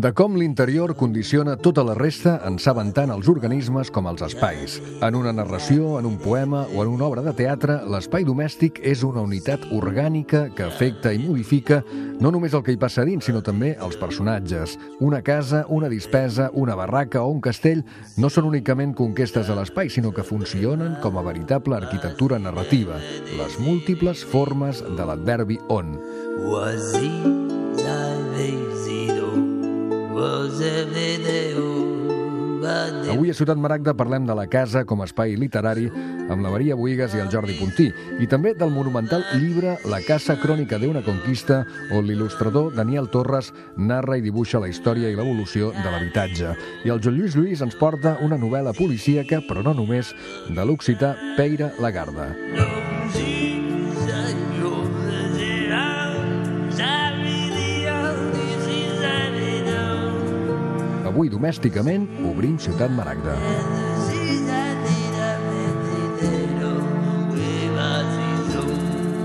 De com l'interior condiciona tota la resta en saben tant els organismes com els espais. En una narració, en un poema o en una obra de teatre, l'espai domèstic és una unitat orgànica que afecta i modifica no només el que hi passa dins, sinó també els personatges. Una casa, una dispesa, una barraca o un castell no són únicament conquestes de l'espai, sinó que funcionen com a veritable arquitectura narrativa, les múltiples formes de l'adverbi on. Avui a Ciutat Maragda parlem de la casa com a espai literari amb la Maria Bohigas i el Jordi Puntí, i també del monumental llibre La casa crònica d'una conquista, on l'il·lustrador Daniel Torres narra i dibuixa la història i l'evolució de l'habitatge. I el Joan Lluís ens porta una novel·la policíaca, però no només, de l'occità Peire Lagarde. Avui, domèsticament, obrim Ciutat Maragda.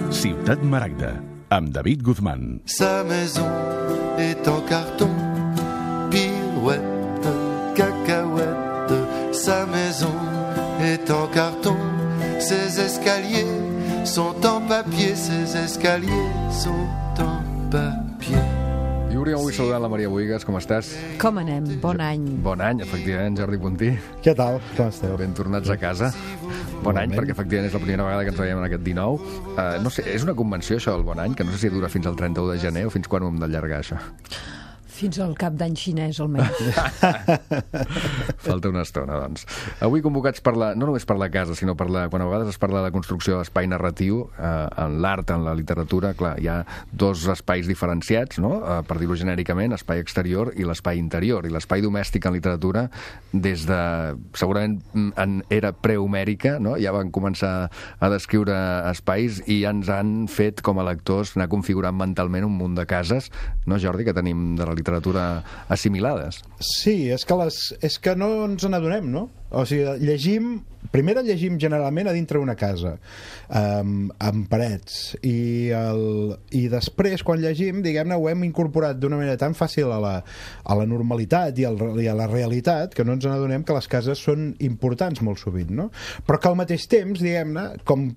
Ciutat Maragda, amb David Guzmán. Sa maison est en carton, pirouette, cacahuète. Sa maison est en carton, ses escaliers sont en papier, ses escaliers sont en papier. I hauríem avui saludant la Maria Bohigas, com estàs? Com anem? Bon any. Bon any, efectivament, Jordi Puntí. Què tal? Com esteu? Ben tornats a casa. Bon any, perquè efectivament és la primera vegada que ens veiem en aquest 19. No sé, és una convenció això del bon any, que no sé si dura fins al 31 de gener o fins quan ho hem d'allargar, això. Fins al cap d'any xinès, almenys. Falta una estona, doncs. Avui convocats no només per la casa, sinó quan a vegades es parla de la construcció d'espai narratiu, en l'art, en la literatura, clar, hi ha dos espais diferenciats, no? Per dir-ho genèricament, espai exterior i l'espai interior. I l'espai domèstic en literatura, des de, segurament, en era prehomèrica, no? Ja van començar a descriure espais i ja ens han fet, com a lectors, anar configurant mentalment un munt de cases, no, Jordi, que tenim de la literatura assimilades. Sí, és que no ens n'adonem, no? O sigui, primer llegim generalment a dintre una casa, amb parets, i després, quan llegim, diguem-ne, ho hem incorporat d'una manera tan fàcil a la normalitat i a la realitat, que no ens n'adonem que les cases són importants molt sovint, no? Però que al mateix temps, diguem-ne, com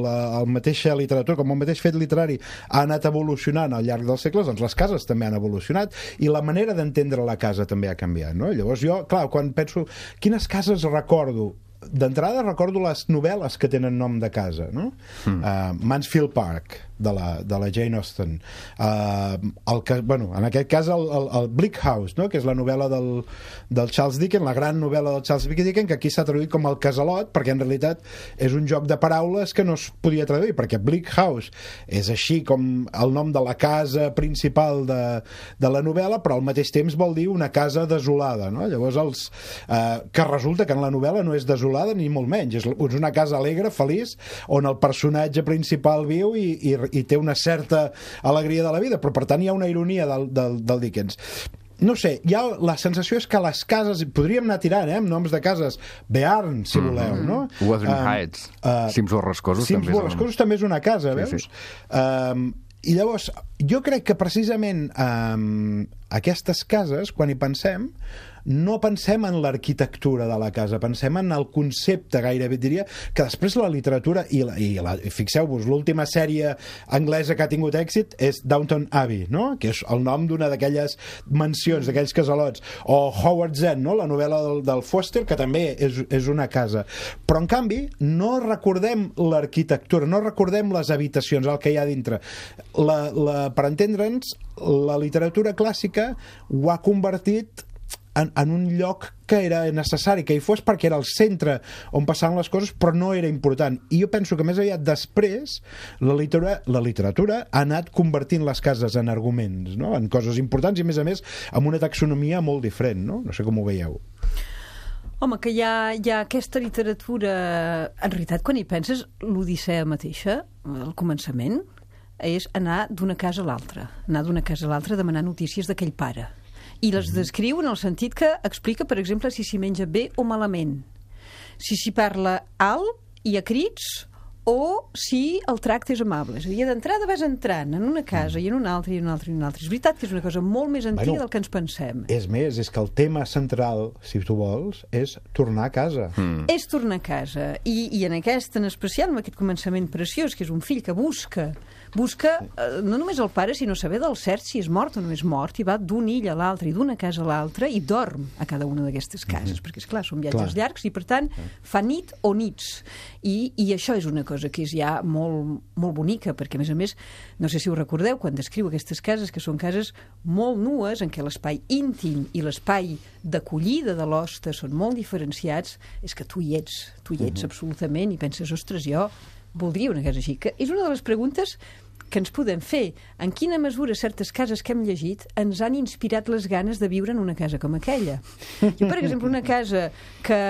la mateixa literatura, com el mateix fet literari ha anat evolucionant al llarg dels segles, doncs les cases també han evolucionat i la manera d'entendre la casa també ha canviat, no? Llavors jo, clar, quan penso quines cases recordo, d'entrada recordo les novel·les que tenen nom de casa, no? Mansfield Park, de la Jane Austen, en aquest cas el Bleak House, no? Que és la novel·la del Charles Dickens, la gran novel·la del Charles Dickens, que aquí s'ha traduït com el Casalot, perquè en realitat és un joc de paraules que no es podia traduir, perquè Bleak House és així com el nom de la casa principal de la novel·la, però al mateix temps vol dir una casa desolada, no? Llavors que resulta que en la novel·la no és desolada ni molt menys, és una casa alegre, feliç, on el personatge principal viu i té una certa alegria de la vida, però per tant hi ha una ironia del Dickens. No sé, la sensació és que les cases, podríem anar tirant, amb noms de cases, Bearn, si voleu, no? Wuthering Heights, Cims Borrascosos també és una casa, veus? I llavors, jo crec que precisament aquestes cases, quan hi pensem, no pensem en l'arquitectura de la casa, pensem en el concepte, gairebé diria, que després la literatura i fixeu-vos, l'última sèrie anglesa que ha tingut èxit és Downton Abbey, no? Que és el nom d'una d'aquelles mansions, d'aquells casalots, o Howard's End, no? La novel·la del Foster, que també és una casa, però en canvi no recordem l'arquitectura, no recordem les habitacions, el que hi ha dintre. Per entendre'ns, la literatura clàssica ho ha convertit en un lloc que era necessari que hi fos perquè era el centre on passaven les coses, però no era important. I jo penso que més aviat després la literatura ha anat convertint les cases en arguments, no? En coses importants i a més amb una taxonomia molt diferent, no? No sé com ho veieu. Home, que hi ha aquesta literatura, en realitat quan hi penses, l'Odissea mateixa, al començament, és anar d'una casa a l'altra, a demanar notícies d'aquell pare. I les descriu en el sentit que explica, per exemple, si s'hi menja bé o malament, si s'hi parla alt i a crits o si el tracte és amable. És a dir, d'entrada vas entrant en una casa i en una altra i en una altra i en una altra. És veritat que és una cosa molt més antiga del que ens pensem. És més, és que el tema central, si tu vols, és tornar a casa. És tornar a casa. I en aquest, en especial, amb aquest començament preciós, que és un fill que busca no només el pare, sinó saber del cert si és mort o no és mort, i va d'un ill a l'altre i d'una casa a l'altra i dorm a cada una d'aquestes cases, perquè, esclar, són viatges llargs i, per tant, fa nit o nits. I això és una cosa que és ja molt, molt bonica, perquè, a més, no sé si ho recordeu, quan descriu aquestes cases, que són cases molt nues, en què l'espai íntim i l'espai d'acollida de l'hoste són molt diferenciats, és que tu hi ets absolutament, i penses, ostres, jo voldria una casa així. Que és una de les preguntes que ens podem fer. En quina mesura certes cases que hem llegit ens han inspirat les ganes de viure en una casa com aquella? Jo, per exemple, una casa que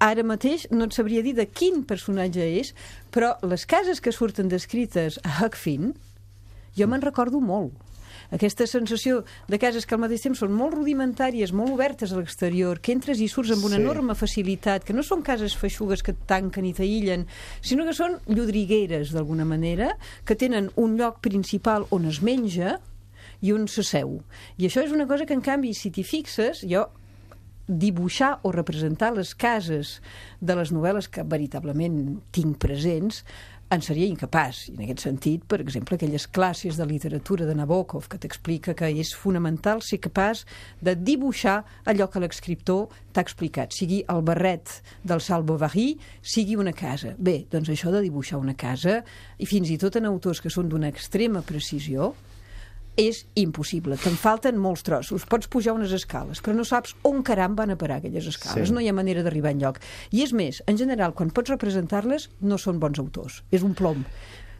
ara mateix no et sabria dir de quin personatge és, però les cases que surten descrites a Huck Finn, jo me'n recordo molt. Aquesta sensació de cases que al mateix temps són molt rudimentàries, molt obertes a l'exterior, que entres i surts amb una enorme facilitat, que no són cases feixugues que et tanquen i t'aïllen, sinó que són llodrigueres, d'alguna manera, que tenen un lloc principal on es menja i on s'asseu. I això és una cosa que, en canvi, si t'hi fixes, jo dibuixar o representar les cases de les novel·les que veritablement tinc presents en seria incapaç. I en aquest sentit, per exemple, aquelles classes de literatura de Nabokov que t'explica que és fonamental ser capaç de dibuixar allò que l'escriptor t'ha explicat, sigui el barret del Sal Bovary, sigui una casa. Bé, doncs això de dibuixar una casa, i fins i tot en autors que són d'una extrema precisió, és impossible. Te'n falten molts trossos. Pots pujar unes escales, però no saps on caram van a parar aquelles escales. No hi ha manera d'arribar enlloc. I és més, en general, quan pots representar-les, no són bons autors. És un plom.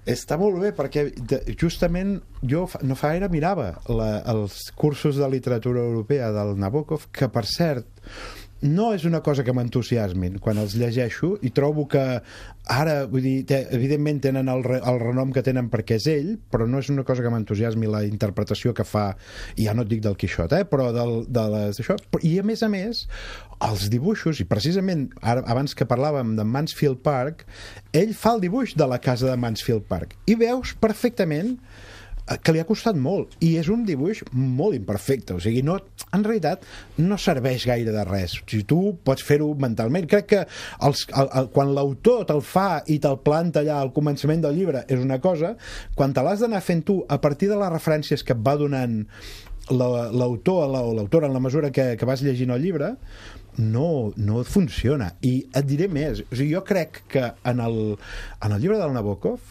Està molt bé, perquè justament jo no fa gaire mirava els cursos de literatura europea del Nabokov, que, per cert, no és una cosa que m'entusiasmin quan els llegeixo, i trobo que ara, vull dir, evidentment tenen el renom que tenen perquè és ell, però no és una cosa que m'entusiasmi la interpretació que fa, i ja no et dic del Quixot, però d'això. I a més, els dibuixos, i precisament ara, abans que parlàvem de Mansfield Park, ell fa el dibuix de la casa de Mansfield Park, i veus perfectament que li ha costat molt, i és un dibuix molt imperfecte, o sigui, en realitat no serveix gaire de res. Si tu pots fer-ho mentalment, crec que quan l'autor te'l fa i te'l planta allà al començament del llibre és una cosa, quan te l'has d'anar fent tu a partir de les referències que et va donant l'autor o l'autora en la mesura que vas llegint el llibre, no funciona. I et diré més, o sigui, jo crec que en el llibre del Nabokov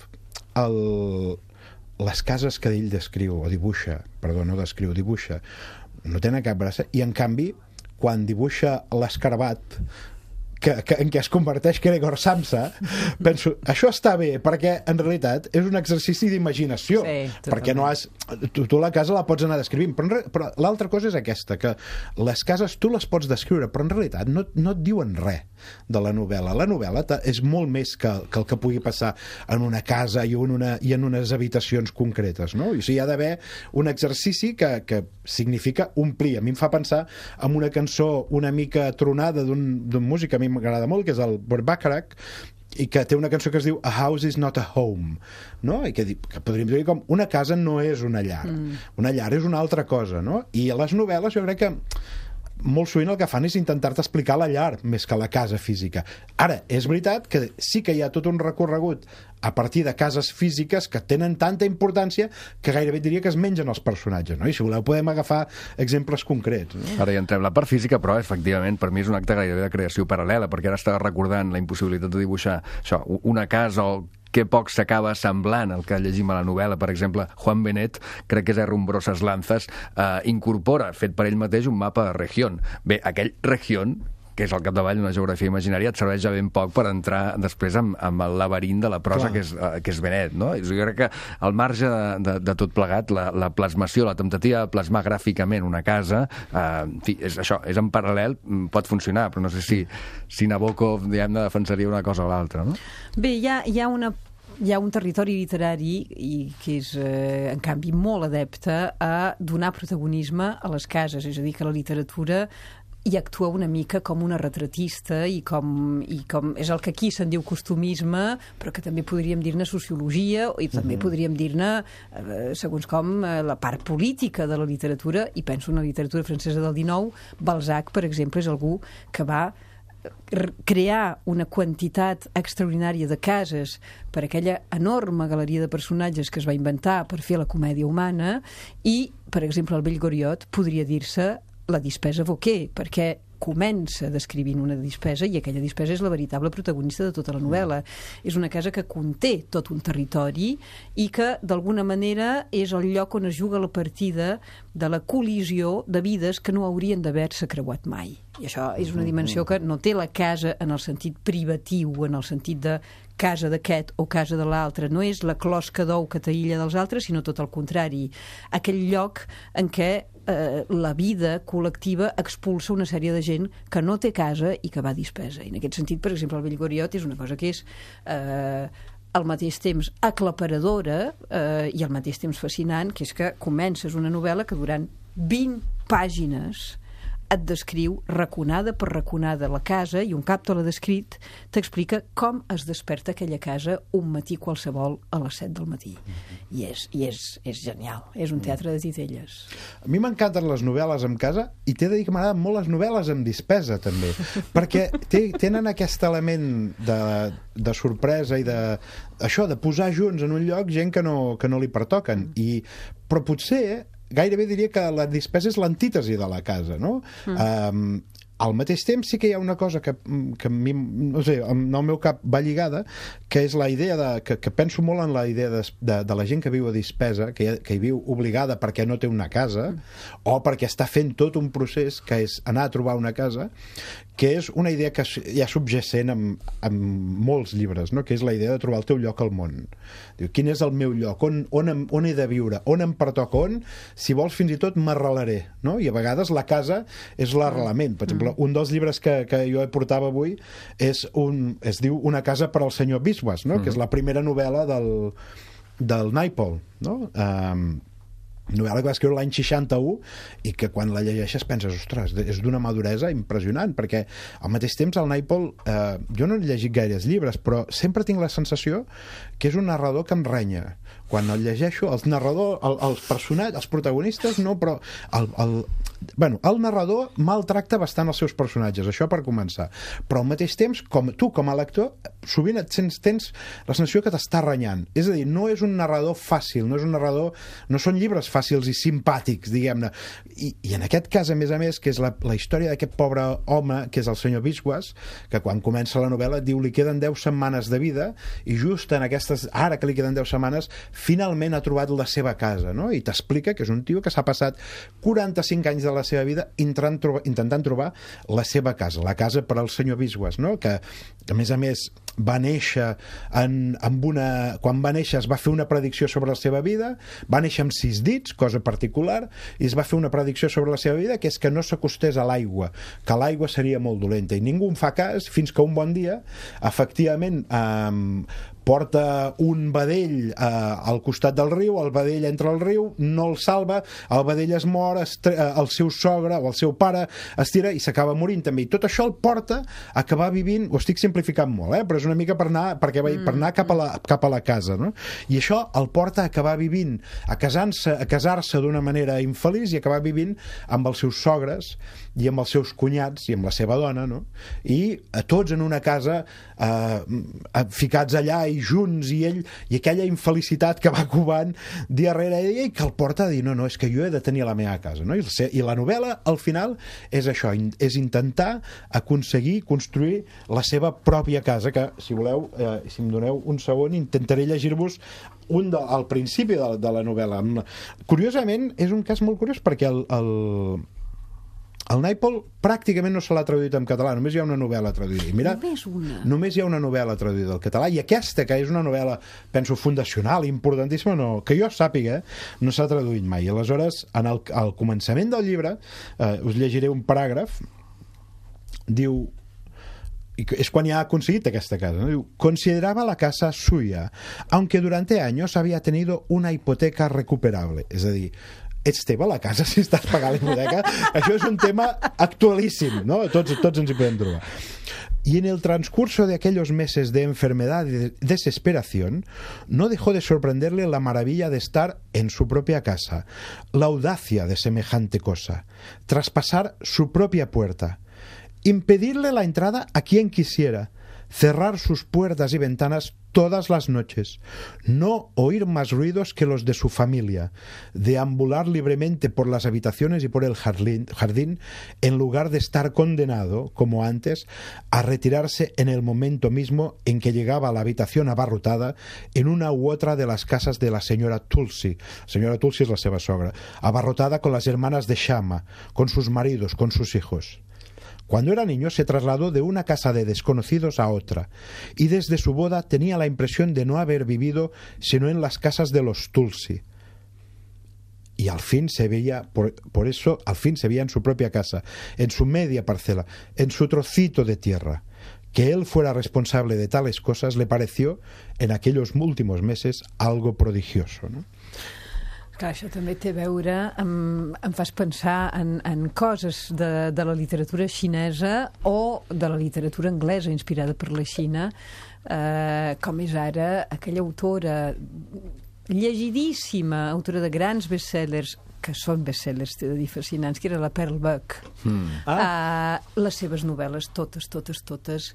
les cases que ell dibuixa, no tenen cap gràcia, i en canvi quan dibuixa l'escarabat en què es converteix Gregor Samsa, penso, això està bé, perquè en realitat és un exercici d'imaginació, perquè no has... Tu la casa la pots anar descrivint, però l'altra cosa és aquesta, que les cases tu les pots descriure, però en realitat no et diuen res de la novel·la. La novel·la és molt més que el que pugui passar en una casa i en unes habitacions concretes, no? O sigui, hi ha d'haver un exercici que significa omplir. A mi em fa pensar en una cançó una mica tronada d'un músic que a mi m'agrada molt, que és el Burt Bacharach, i que té una cançó que es diu A House is not a Home, no? I que podríem dir com una casa no és una llar. Una llar és una altra cosa, no? I a les novel·les jo crec que molt sovint el que fan és intentar-te explicar la llar més que la casa física. Ara, és veritat que sí que hi ha tot un recorregut a partir de cases físiques que tenen tanta importància que gairebé diria que es mengen els personatges, no? I si voleu podem agafar exemples concrets, no? Ara hi entrem la part física, però efectivament per mi és un acte gairebé de creació paral·lela, perquè ara estava recordant la impossibilitat de dibuixar això, una casa o que poc s'acaba semblant al que llegim a la novel·la. Per exemple, Juan Benet, crec que és a Rumbrosas Lanzas, incorpora, fet per ell mateix, un mapa de Región. Bé, aquell Región, que és al capdavall una geografia imaginària, et serveix ja ben poc per entrar després amb el laberint de la prosa que és Benet, no? Jo crec que al marge de tot plegat, la plasmació, la temptativa de plasmar gràficament una casa, en fi, és això, és en paral·lel, pot funcionar, però no sé si Nabokov, diguem-ne, defensaria una cosa o l'altra, no? Bé, hi ha un territori literari que és, en canvi, molt adepte a donar protagonisme a les cases, és a dir, que la literatura i actua una mica com una retratista i com és el que aquí se'n diu costumisme, però que també podríem dir-ne sociologia i també podríem dir-ne, segons com, la part política de la literatura, i penso en la literatura francesa del XIX. Balzac, per exemple, és algú que va crear una quantitat extraordinària de cases per aquella enorme galeria de personatges que es va inventar per fer la comèdia humana, i, per exemple, el Vell Goriot podria dir-se la dispesa Vauquer, perquè comença descrivint una dispesa i aquella dispesa és la veritable protagonista de tota la novel·la. És una casa que conté tot un territori i que, d'alguna manera, és el lloc on es juga la partida de la col·lisió de vides que no haurien d'haver-se creuat mai. I això és una dimensió que no té la casa en el sentit privatiu, en el sentit de casa d'aquest o casa de l'altre. No és la closca d'ou que t'aïlla dels altres, sinó tot el contrari. Aquell lloc en què la vida col·lectiva expulsa una sèrie de gent que no té casa i que va dispesa. I en aquest sentit, per exemple, el Vell Goriot és una cosa que és al mateix temps aclaparadora i al mateix temps fascinant, que és que comences una novel·la que durant 20 pàgines et descriu raconada per raconada la casa, i un cap te l'ha descrit, t'explica com es desperta aquella casa un matí qualsevol a les 7 del matí. I és genial, és un teatre de titelles. A mi m'encanten les novel·les en casa, i t'he de dir que m'agraden molt les novel·les amb dispesa, també, perquè tenen aquest element de sorpresa i això, de posar junts en un lloc gent que no li pertoquen. Però potser gairebé diria que la dispesa és l'antítesi de la casa, no? Al mateix temps sí que hi ha una cosa que a mi, no sé, en el meu cap va lligada, que és la idea que penso molt en la idea de la gent que viu a dispesa, que hi viu obligada perquè no té una casa, o perquè està fent tot un procés que és anar a trobar una casa, que és una idea que hi ha subjacent en molts llibres, no? Que és la idea de trobar el teu lloc al món. Diu, quin és el meu lloc? On he de viure? On em pertoca? Si vols, fins i tot m'arrelaré, no? I a vegades la casa és l'arrelament. Per exemple, un dels llibres que jo portava avui es diu Una casa per al senyor Biswas, no? Que és la primera novel·la del Naipaul, no? Novel·la que va escriure l'any 61 i que quan la llegeixes penses, ostres, és d'una maduresa impressionant, perquè al mateix temps el Naipaul, jo no he llegit gaires llibres, però sempre tinc la sensació que és un narrador que em renya. Quan el llegeixo, els personatges, els protagonistes no, però el narrador maltracta bastant els seus personatges, això per començar, però al mateix temps, tu com a lector, sovint tens la sensació que t'està renyant. És a dir, no és un narrador fàcil, no són llibres fàcils i simpàtics, diguem-ne. I en aquest cas, a més, que és la història d'aquest pobre home, que és el senyor Biswas, que quan comença la novel·la diu li queden 10 setmanes de vida, i just en aquestes, ara que li queden 10 setmanes, finalment ha trobat la seva casa, no? I t'explica que és un tio que s'ha passat 45 anys de la seva vida intentant trobar la seva casa, la casa per al senyor Biswas, no? Que a més va néixer quan va néixer es va fer una predicció sobre la seva vida, va néixer amb 6 dits, cosa particular, i es va fer una predicció sobre la seva vida, que és que no s'acostés a l'aigua, que l'aigua seria molt dolenta, i ningú en fa cas fins que un bon dia efectivament porta un vedell al costat del riu, el vedell entra al riu, no el salva, el vedell es mor, el seu sogre o el seu pare es tira i s'acaba morint també, i tot això el porta a acabar vivint, ho estic simplificant molt, però és una mica per anar cap a la casa, no? I això el porta a acabar vivint, a casar-se d'una manera infeliç i acabar vivint amb els seus sogres i amb els seus cunyats i amb la seva dona, no? I tots en una casa ficats allà i junts, i aquella infelicitat que va covant dia rere dia i que el porta a dir, no, és que jo he de tenir la meva casa, no? I la novel·la al final és això, és intentar aconseguir construir la seva pròpia casa, que si voleu, si em doneu un segon, intentaré llegir-vos al principi de la novel·la. Curiosament, és un cas molt curiós perquè el Naipaul pràcticament no se l'ha traduït en català, només hi ha una novel·la traduïda. I mira, només hi ha una novel·la traduïda al català, i aquesta, que és una novel·la, penso, fundacional, importantíssima, que jo sàpiga, no s'ha traduït mai. I aleshores, al començament del llibre, us llegiré un paràgraf, diu, es quan ya ha conseguido esta casa, ¿no? Consideraba la casa suya, aunque durante años había tenido una hipoteca recuperable. Es decir, ets teva la casa si estàs pagant la hipoteca? Això és un tema actualíssim, ¿no? Tots ens hi podem trobar. Y en el transcurso de aquellos meses de enfermedad y de desesperación, no dejó de sorprenderle la maravilla de estar en su propia casa, la audacia de semejante cosa, traspasar su propia puerta, impedirle la entrada a quien quisiera, cerrar sus puertas y ventanas todas las noches, no oír más ruidos que los de su familia, deambular libremente por las habitaciones y por el jardín en lugar de estar condenado, como antes, a retirarse en el momento mismo en que llegaba a la habitación abarrotada en una u otra de las casas de la señora Tulsi. La señora Tulsi es la seva sogra, abarrotada con las hermanas de Shama, con sus maridos, con sus hijos. Cuando era niño se trasladó de una casa de desconocidos a otra y desde su boda tenía la impresión de no haber vivido sino en las casas de los Tulsi. Y al fin se veía, por eso, al fin se veía en su propia casa, en su media parcela, en su trocito de tierra. Que él fuera responsable de tales cosas le pareció, en aquellos últimos meses, algo prodigioso, ¿no? Clar, això també té a veure, em fas pensar en coses de la literatura xinesa o de la literatura anglesa inspirada per la Xina, com és ara aquella autora llegidíssima, autora de grans bestsellers, que són bestsellers, t'he de dir, fascinants, que era la Pearl Buck. Les seves novel·les, totes,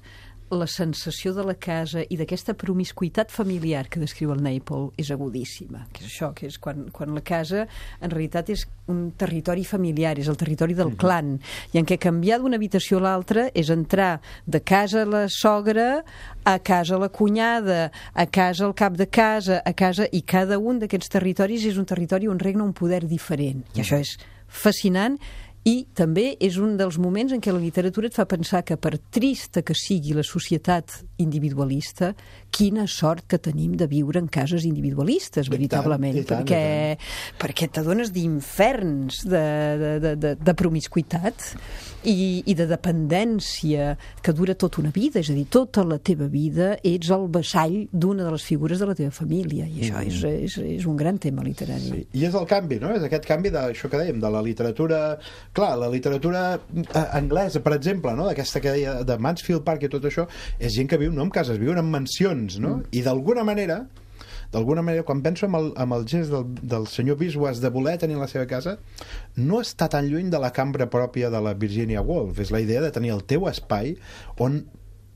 la sensació de la casa i d'aquesta promiscuitat familiar que descriu el Naipaul és agudíssima, que és això, que és quan la casa en realitat és un territori familiar, és el territori del clan, i en què canviar d'una habitació a l'altra és entrar de casa la sogra a casa la cunyada, a casa el cap de casa, a casa, i cada un d'aquests territoris és un territori on regna un poder diferent, i això és fascinant. I també és un dels moments en què la literatura et fa pensar que, per trista que sigui la societat individualista, quina sort que tenim de viure en cases individualistes, veritablement, perquè t'adones d'inferns de promiscuitat i de dependència que dura tota una vida, és a dir, tota la teva vida ets el vassall d'una de les figures de la teva família, i això és un gran tema literari. Sí. I és el canvi, no? És aquest canvi d'això que dèiem, de la literatura... Clar, la literatura anglesa, per exemple, no? D'aquesta que deia de Mansfield Park i tot això, és gent que viu no en cases, viuen en mansions, no? I d'alguna manera, quan penso en el gest del senyor Biswas de voler tenir la seva casa, no està tan lluny de la cambra pròpia de la Virginia Woolf. És la idea de tenir el teu espai on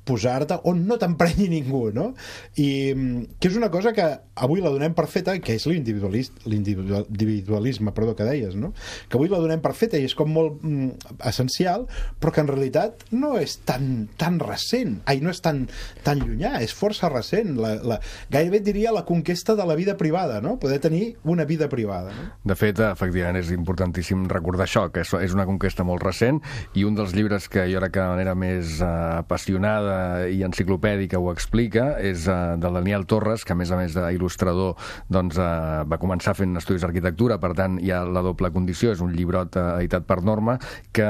posar-te, on no t'emprenyi ningú, no? I que és una cosa que avui la donem per feta, que és l'individualisme, que deies, no? Que avui la donem per feta i és com molt essencial, però que en realitat no és tan recent, no és tan llunyà, és força recent. Gairebé diria la conquesta de la vida privada, no? Poder tenir una vida privada, no? De fet, efectivament, és importantíssim recordar això, que és una conquesta molt recent, i un dels llibres que jo crec que de manera més apassionada i enciclopèdica ho explica, és del Daniel Torres, que a més d'il·lustrador doncs, va començar fent estudis d'arquitectura, per tant hi ha la doble condició, és un llibrot editat per Norma que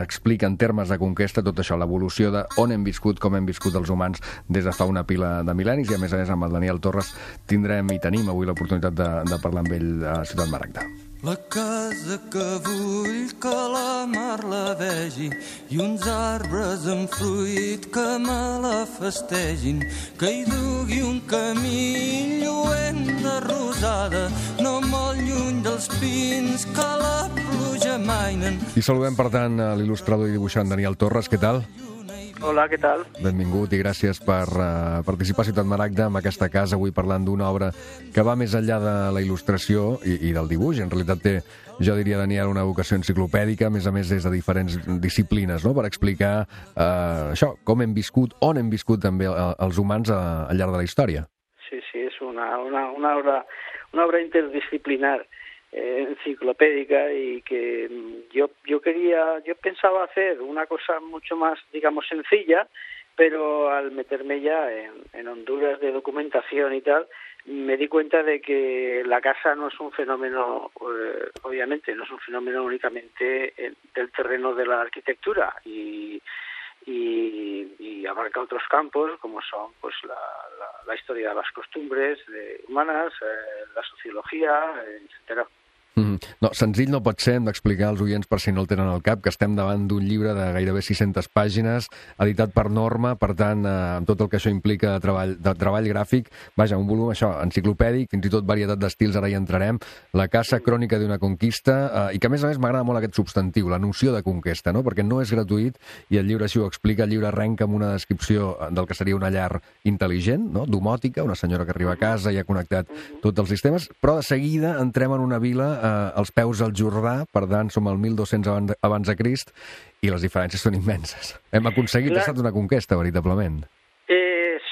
explica en termes de conquesta tot això, l'evolució d'on hem viscut, com hem viscut els humans des de fa una pila de mil·lennis, i a més amb el Daniel Torres tenim avui l'oportunitat de parlar amb ell a Ciutat Maragda. La casa que vull que la mar la vegi i uns arbres amb fruit que me la festegin, que hi dugui un camí lluent de rosada, no molt lluny dels pins que la pluja mainen. I saludem, per tant, l'il·lustrador i dibuixant Daniel Torres. Què tal? Hola, què tal? Benvingut i gràcies per participar a Ciutat Maragda amb aquesta casa, avui parlant d'una obra que va més enllà de la il·lustració i del dibuix. En realitat té, jo diria, Daniel, una vocació enciclopèdica, a més des de diferents disciplines, no?, per explicar això, com hem viscut, on hem viscut també els humans al llarg de la història. Sí, és una obra interdisciplinar, enciclopédica, y que yo pensaba hacer una cosa mucho más, digamos, sencilla, pero al meterme ya en Honduras de documentación y tal, me di cuenta de que la casa no es un fenómeno, obviamente, no es un fenómeno únicamente del terreno de la arquitectura y abarca otros campos como son pues la historia de las costumbres humanas, la sociología, etcétera. No, senzill no pot ser, hem d'explicar als oients, per si no el tenen al cap, que estem davant d'un llibre de gairebé 600 pàgines, editat per Norma, per tant, amb tot el que això implica de treball gràfic, vaja, un volum, això, enciclopèdic, fins i tot varietat d'estils, ara hi entrarem, La casa crònica d'una conquista, i que a més m'agrada molt aquest substantiu, la noció de conquesta, no? Perquè no és gratuït, i el llibre així ho explica, el llibre arrenca amb una descripció del que seria una llar intel·ligent, no? Domòtica, una senyora que arriba a casa i ha connectat tots els sistemes, però de seguida entrem en una vila als peus del Jordà, per tant, som al 1200 abans de Crist, i les diferències són immenses. Hem aconseguit, ha estat una conquesta, veritablement.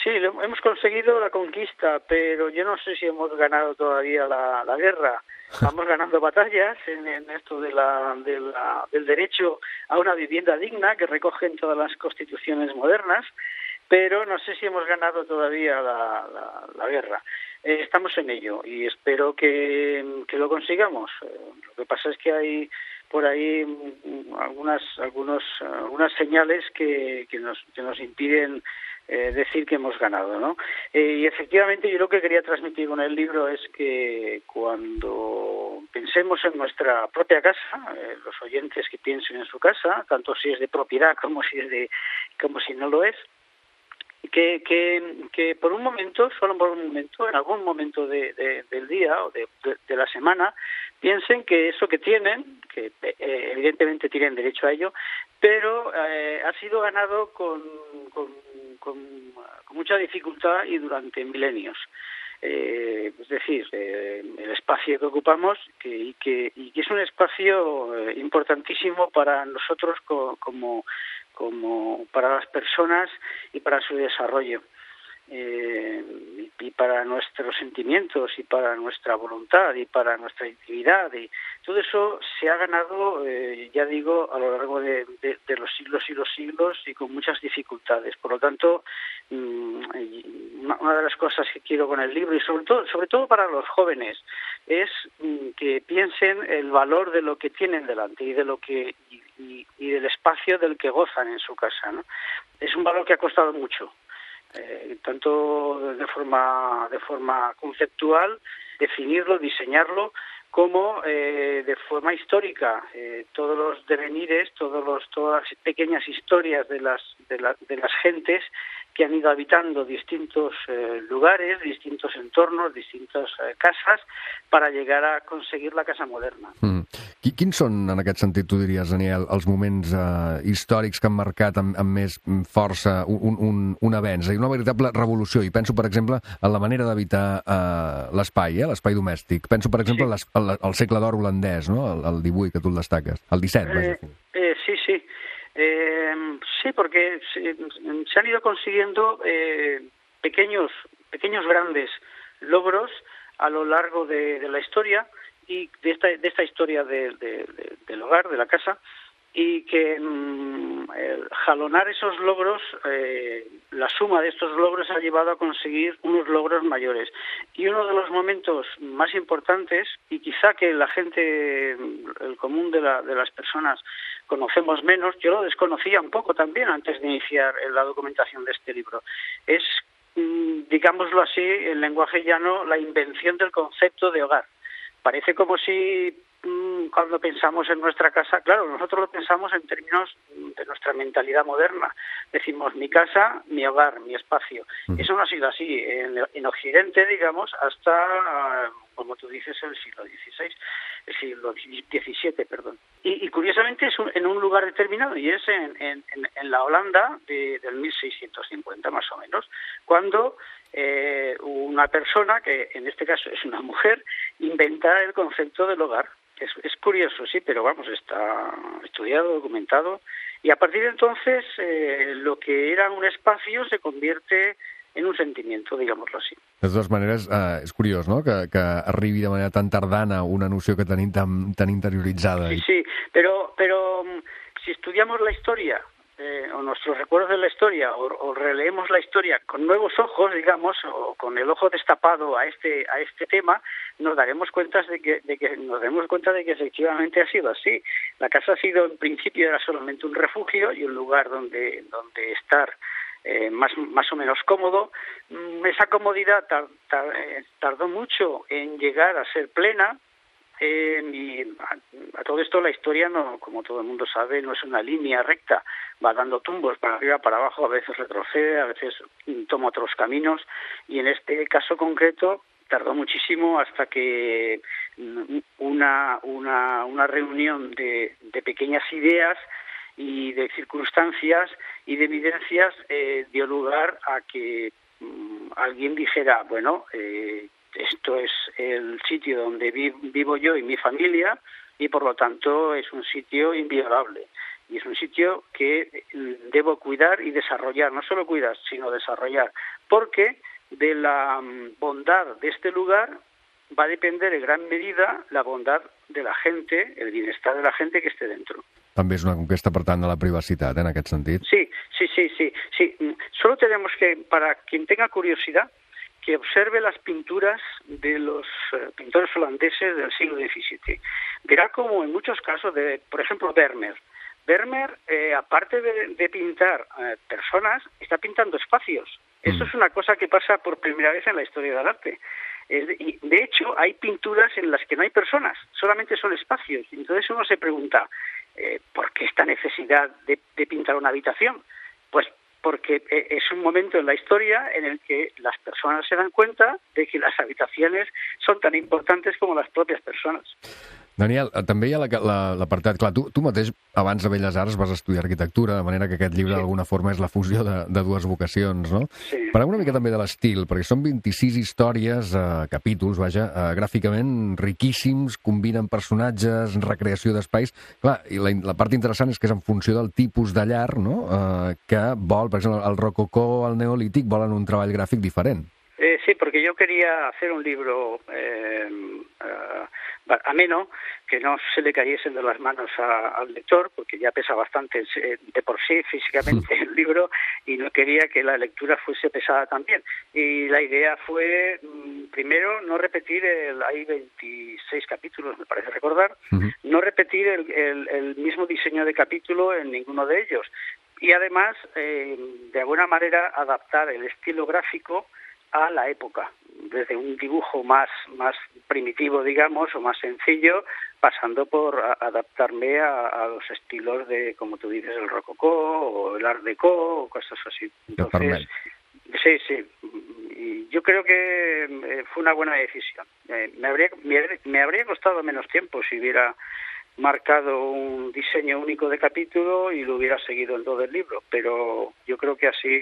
Sí, hemos conseguido la conquista, pero yo no sé si hemos ganado todavía la guerra. Vamos ganando batallas en esto del derecho a una vivienda digna que recogen todas las constituciones modernas, pero no sé si hemos ganado todavía la guerra. Estamos en ello y espero que lo consigamos. Lo que pasa es que hay por ahí algunas señales que nos impiden decir que hemos ganado, ¿no? Y efectivamente yo lo que quería transmitir con el libro es que cuando pensemos en nuestra propia casa, los oyentes que piensen en su casa, tanto si es de propiedad como si no lo es, que por un momento, solo por un momento, en algún momento del día o de la semana, piensen que eso que tienen, que evidentemente tienen derecho a ello, pero ha sido ganado con mucha dificultad y durante milenios. Es decir, el espacio que ocupamos y que es un espacio importantísimo para nosotros como para las personas y para su desarrollo, y para nuestros sentimientos y para nuestra voluntad y para nuestra intimidad, y todo eso se ha ganado, ya digo, a lo largo de los siglos y los siglos y con muchas dificultades. Por lo tanto, una de las cosas que quiero con el libro, y sobre todo para los jóvenes, es que piensen el valor de lo que tienen delante y de lo que y del espacio del que gozan en su casa, ¿no? Es un valor que ha costado mucho, tanto de forma conceptual, definirlo, diseñarlo, como de forma histórica, todos los devenires, todas las pequeñas historias de las gentes que han ido habitando distintos lugares, distintos entornos, distintas casas, para llegar a conseguir la casa moderna. Quins són, en aquest sentit, tu diries, Daniel, els moments històrics que han marcat amb més força un avenç, una veritable revolució? I penso, per exemple, en la manera d'habitar l'espai, l'espai domèstic. Penso, per exemple, al segle d'or holandès, no? El 18, que tu el destaques. El 17, vaja. Sí. Sí, porque se han ido consiguiendo pequeños grandes logros a lo largo de la historia y de esta historia del hogar, de la casa, y que jalonar esos logros, la suma de estos logros ha llevado a conseguir unos logros mayores. Y uno de los momentos más importantes, y quizá que la gente, el común de las personas, conocemos menos, yo lo desconocía un poco también antes de iniciar la documentación de este libro, es, digámoslo así, en lenguaje llano, la invención del concepto de hogar. Parece como si cuando pensamos en nuestra casa, claro, nosotros lo pensamos en términos de nuestra mentalidad moderna. Decimos mi casa, mi hogar, mi espacio. Eso no ha sido así en Occidente, digamos, hasta, como tú dices, el siglo XVII, perdón. Y curiosamente es en un lugar determinado, y es en la Holanda del 1650 más o menos, cuando una persona, que en este caso es una mujer, inventa el concepto del hogar. Es curioso, sí, pero vamos, está estudiado, documentado, y a partir de entonces lo que era un espacio se convierte en un sentimiento, digámoslo así. De totes maneres, és curiós, no?, que arribi de manera tan tardana una noció que tenim tan interioritzada. Sí, pero si estudiamos la historia, o nuestros recuerdos de la historia, o releemos la historia con nuevos ojos, digamos, o con el ojo destapado a este tema, nos daremos cuenta de que efectivamente ha sido así. La casa ha sido, en principio, era solamente un refugio y un lugar donde estar más o menos cómodo. Esa comodidad tardó mucho en llegar a ser plena, Y a todo esto la historia, no, como todo el mundo sabe, no es una línea recta, va dando tumbos para arriba, para abajo, a veces retrocede, a veces toma otros caminos, y en este caso concreto tardó muchísimo hasta que una reunión de pequeñas ideas y de circunstancias y de evidencias dio lugar a que alguien dijera, bueno, esto es el sitio donde vivo yo y mi familia, y por lo tanto es un sitio inviolable. Y es un sitio que debo cuidar y desarrollar, no solo cuidar, sino desarrollar, porque de la bondad de este lugar va a depender en gran medida la bondad de la gente, el bienestar de la gente que esté dentro. També és una conquesta, per tant, de la privacitat, en aquest sentit. Sí. Solo tenemos que, para quien tenga curiosidad, que observe las pinturas de los pintores holandeses del siglo XVII. Verá como en muchos casos, por ejemplo, Vermeer, aparte de pintar personas, está pintando espacios. Eso es una cosa que pasa por primera vez en la historia del arte. Y de hecho, hay pinturas en las que no hay personas, solamente son espacios. Entonces uno se pregunta, ¿por qué esta necesidad de pintar una habitación? Pues porque es un momento en la historia en el que las personas se dan cuenta de que las habitaciones son tan importantes como las propias personas. Daniel, també hi ha l'apartat... Clar, tu mateix, abans de Belles Arts, vas estudiar arquitectura, de manera que aquest llibre, d'alguna forma, és la fusió de dues vocacions, no? Sí. Parlem una mica també de l'estil, perquè són 26 històries, capítols, vaja, gràficament riquíssims, combinen personatges, recreació d'espais... Clar, i la part interessant és que és en funció del tipus de llar, no?, que vol, per exemple, el rococó o el neolític volen un treball gràfic diferent. Sí, porque yo quería hacer un libro ameno, que no se le cayesen de las manos al lector, porque ya pesa bastante de por sí físicamente el libro, y no quería que la lectura fuese pesada también. Y la idea fue, primero, no repetir, hay 26 capítulos, me parece recordar, no repetir el mismo diseño de capítulo en ninguno de ellos. Y además, de alguna manera, adaptar el estilo gráfico a la época, desde un dibujo más primitivo, digamos, o más sencillo, pasando por adaptarme a los estilos de, como tú dices, el rococó o el art déco o cosas así. Entonces, sí. Y yo creo que fue una buena decisión. Me habría costado menos tiempo si hubiera marcado un diseño único de capítulo y lo hubiera seguido en todo el libro, pero yo creo que así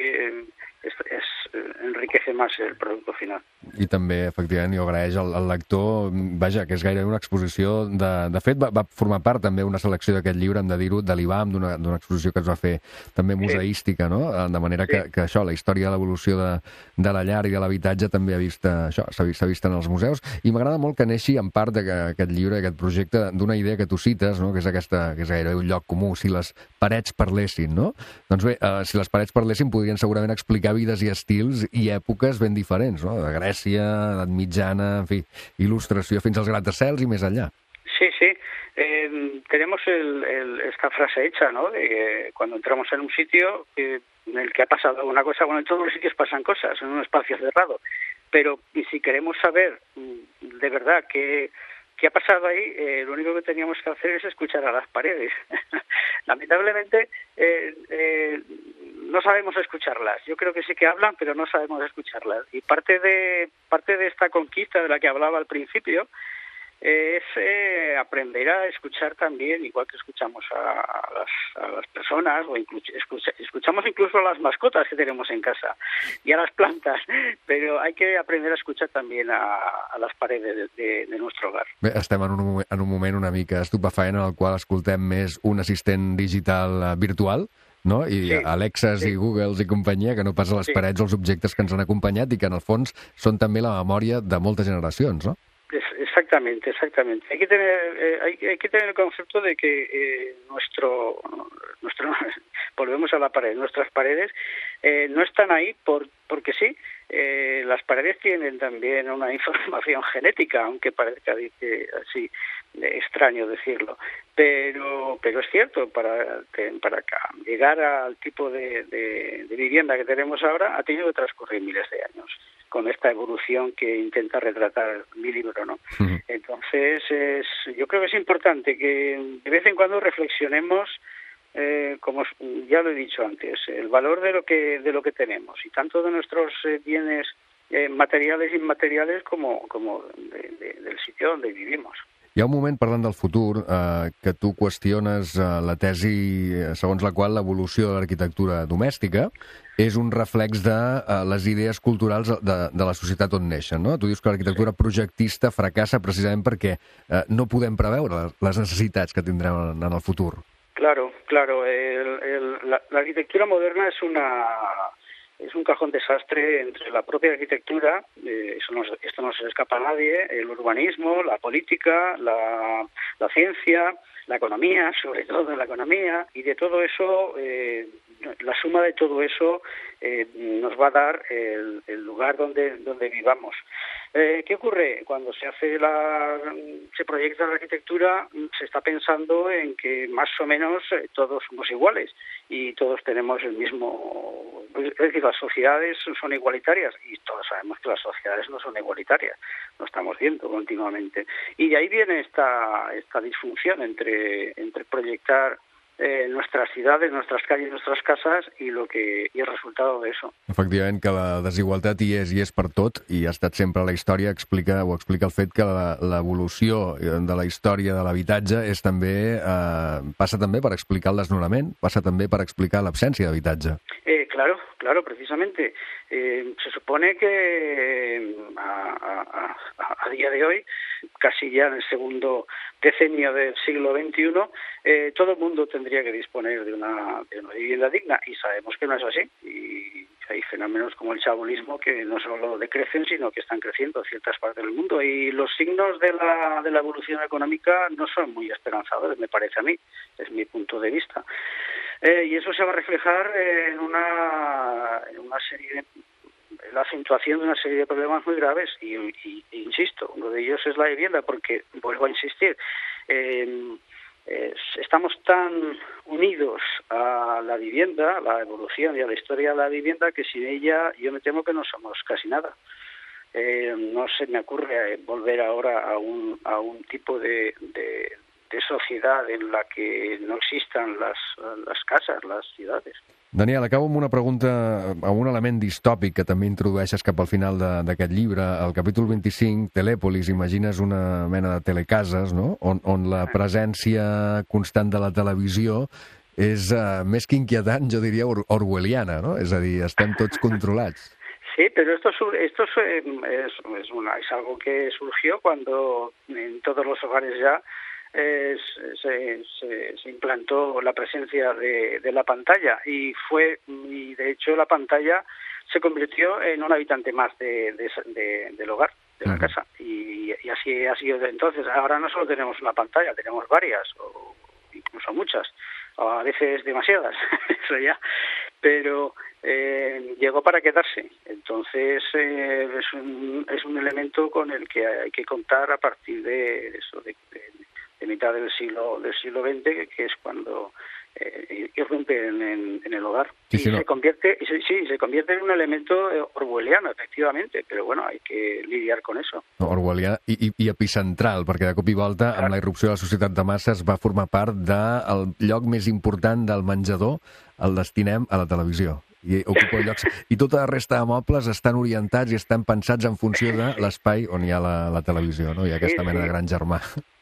enriquece más el producto final. I també, efectivament, jo agraeix al lector, vaja, que és gairebé una exposició de fet, va formar part també una selecció d'aquest llibre, hem de dir-ho, de l'IBAM, d'una exposició que es va fer també museística, no? De manera que això, la història de l'evolució de la llar i de l'habitatge també s'ha vist en els museus, i m'agrada molt que neixi en part d'aquest llibre, aquest projecte, d'una idea que tu cites, no?, que és aquesta, que és gairebé un lloc comú, si les parets parlessin, no? Doncs bé, si les parets parlessin podrien segurament explicar vides i estils i èpoques ben diferents, no?, de Grècia, edat mitjana, en fi, il·lustració fins als gratacels i més enllà. Sí. Tenemos esta frase hecha, ¿no?, de que cuando entramos en un sitio en el que ha pasado una cosa, bueno, en todos los sitios pasan cosas, en un espacio cerrado, pero si queremos saber de verdad qué ha pasado ahí, lo único que teníamos que hacer es escuchar a las paredes. Lamentablemente no sabemos escucharlas. Yo creo que sí que hablan, pero no sabemos escucharlas. Y parte de esta conquista de la que hablaba al principio es aprender a escuchar también, igual que escuchamos a las personas, o escuchamos incluso a las mascotas que tenemos en casa y a las plantas, pero hay que aprender a escuchar también a las paredes de nuestro hogar. Bé, estem en un moment una mica estupefaent en el qual escoltem més un assistent digital virtual, no? I Alexas i Googles i companyia, que no pas a les parets els objectes que ens han acompanyat i que en el fons són també la memòria de moltes generacions, no? Exactamente. Hay que tener el concepto de que volvemos a la pared, nuestras paredes no están ahí porque sí. Las paredes tienen también una información genética, aunque parezca así extraño decirlo, pero es cierto, para llegar al tipo de vivienda que tenemos ahora ha tenido que transcurrir miles de años. con esta evolución que intenta retratar mi libro, ¿no? Entonces, yo creo que es importante que de vez en cuando reflexionemos, como ya lo he dicho antes, el valor de lo que tenemos, y tanto de nuestros bienes materiales e inmateriales como del sitio donde vivimos. Hi ha un moment, parlant del futur, que tu qüestiones la tesi segons la qual l'evolució de l'arquitectura domèstica és un reflex de les idees culturals de la societat on neixen, no? Tu dius que l'arquitectura projectista fracassa precisament perquè no podem preveure les necessitats que tindrem en el futur. Claro. La arquitectura moderna es un cajón desastre entre la propia arquitectura, esto no se le escapa a nadie, el urbanismo, la política, la ciencia, la economía, sobre todo la economía, y de todo eso, la suma de todo eso nos va a dar el lugar donde vivamos. ¿Qué ocurre? Cuando se proyecta la arquitectura, se está pensando en que más o menos todos somos iguales y todos tenemos el mismo... Es decir, las sociedades son igualitarias y todos sabemos que las sociedades no son igualitarias, lo estamos viendo continuamente. Y de ahí viene esta disfunción entre proyectar nuestras ciudades, nuestras calles, nuestras casas i el resultado de eso. Efectivament, que la desigualtat hi és per tot, i ha estat sempre a la història, explica el fet que l'evolució de la història de l'habitatge és també passa també per explicar el desnonament, passa també per explicar l'absència d'habitatge. Claro, precisamente. Se supone que a día de hoy, casi ya en el segundo decenio del siglo XXI, todo el mundo tendría que disponer de una vivienda digna, y sabemos que no es así. Y hay fenómenos como el chabolismo que no solo decrecen, sino que están creciendo en ciertas partes del mundo. Y los signos de la evolución económica no son muy esperanzadores, me parece a mí, es mi punto de vista. Y eso se va a reflejar en una serie la acentuación de una serie de problemas muy graves y insisto, uno de ellos es la vivienda, porque vuelvo a insistir, estamos tan unidos a la vivienda, a la evolución y a la historia de la vivienda, que sin ella yo me temo que no somos casi nada. No se me ocurre volver ahora a un tipo de sociedad en la que no existan las casas, las ciudades. Daniel, acabo amb una pregunta, amb un element distòpic que també introdueixes cap al final d'aquest llibre. Al capítol 25, Telèpolis, imagines una mena de telecases, no? On la presència constant de la televisió és més que inquietant, jo diria orwelliana, no? És a dir, estem tots controlats. Sí, pero esto es algo que surgió cuando en todos los hogares ya se implantó la presencia de la pantalla y de hecho la pantalla se convirtió en un habitante más del hogar, de la casa, y así ha sido desde entonces. Ahora no solo tenemos una pantalla, tenemos varias o incluso muchas, a veces demasiadas, eso ya, pero llegó para quedarse. Entonces es un elemento con el que hay que contar a partir de eso, de mitad del siglo XX, que es cuando irrumpe en el hogar. Se convierte en un elemento orwelliano, efectivamente, però bueno, hay que lidiar con eso. Orwellià i epicentral, perquè de cop i volta, amb la irrupció de la societat de masses, va formar part del lloc més important del menjador, el destinem a la televisió. I ocupa llocs. I tota la resta de mobles estan orientats i estan pensats en funció de l'espai on hi ha la televisió, no? Hi ha aquesta mena de gran germà.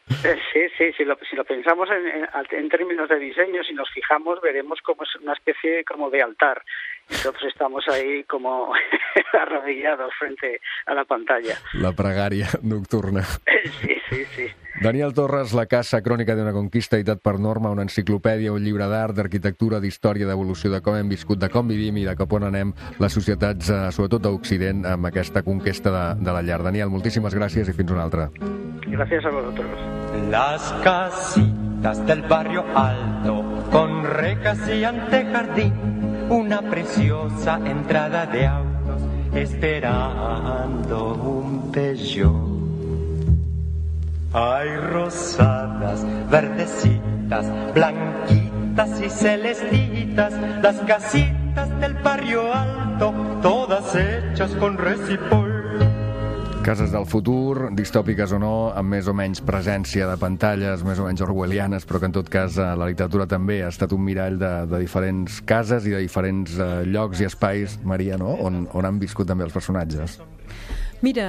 Sí, si lo pensamos en términos de diseño, si nos fijamos, veremos como es una especie como de altar. Entonces estamos ahí como arrodillados frente a la pantalla. La pregària nocturna. Sí. Daniel Torres, La casa, crònica d'una conquista, editat per Norma, una enciclopèdia, un llibre d'art, d'arquitectura, d'història, d'evolució, de com hem viscut, de com vivim i de cap on anem les societats, sobretot d'Occident, amb aquesta conquesta de la llar. Daniel, moltíssimes gràcies i fins una altra. Gracias a vosotros. Las casitas del barrio alto, con rejas y antejardín, una preciosa entrada de autos, esperando un Peugeot. Hay rosadas, verdecitas, blanquitas y celestitas, las casitas del barrio alto, todas hechas con resipol. Cases del futur, distòpiques o no, amb més o menys presència de pantalles, més o menys orwellianes, però que en tot cas la literatura també ha estat un mirall de diferents cases i de diferents llocs i espais, Maria, no? On han viscut també els personatges. Mira,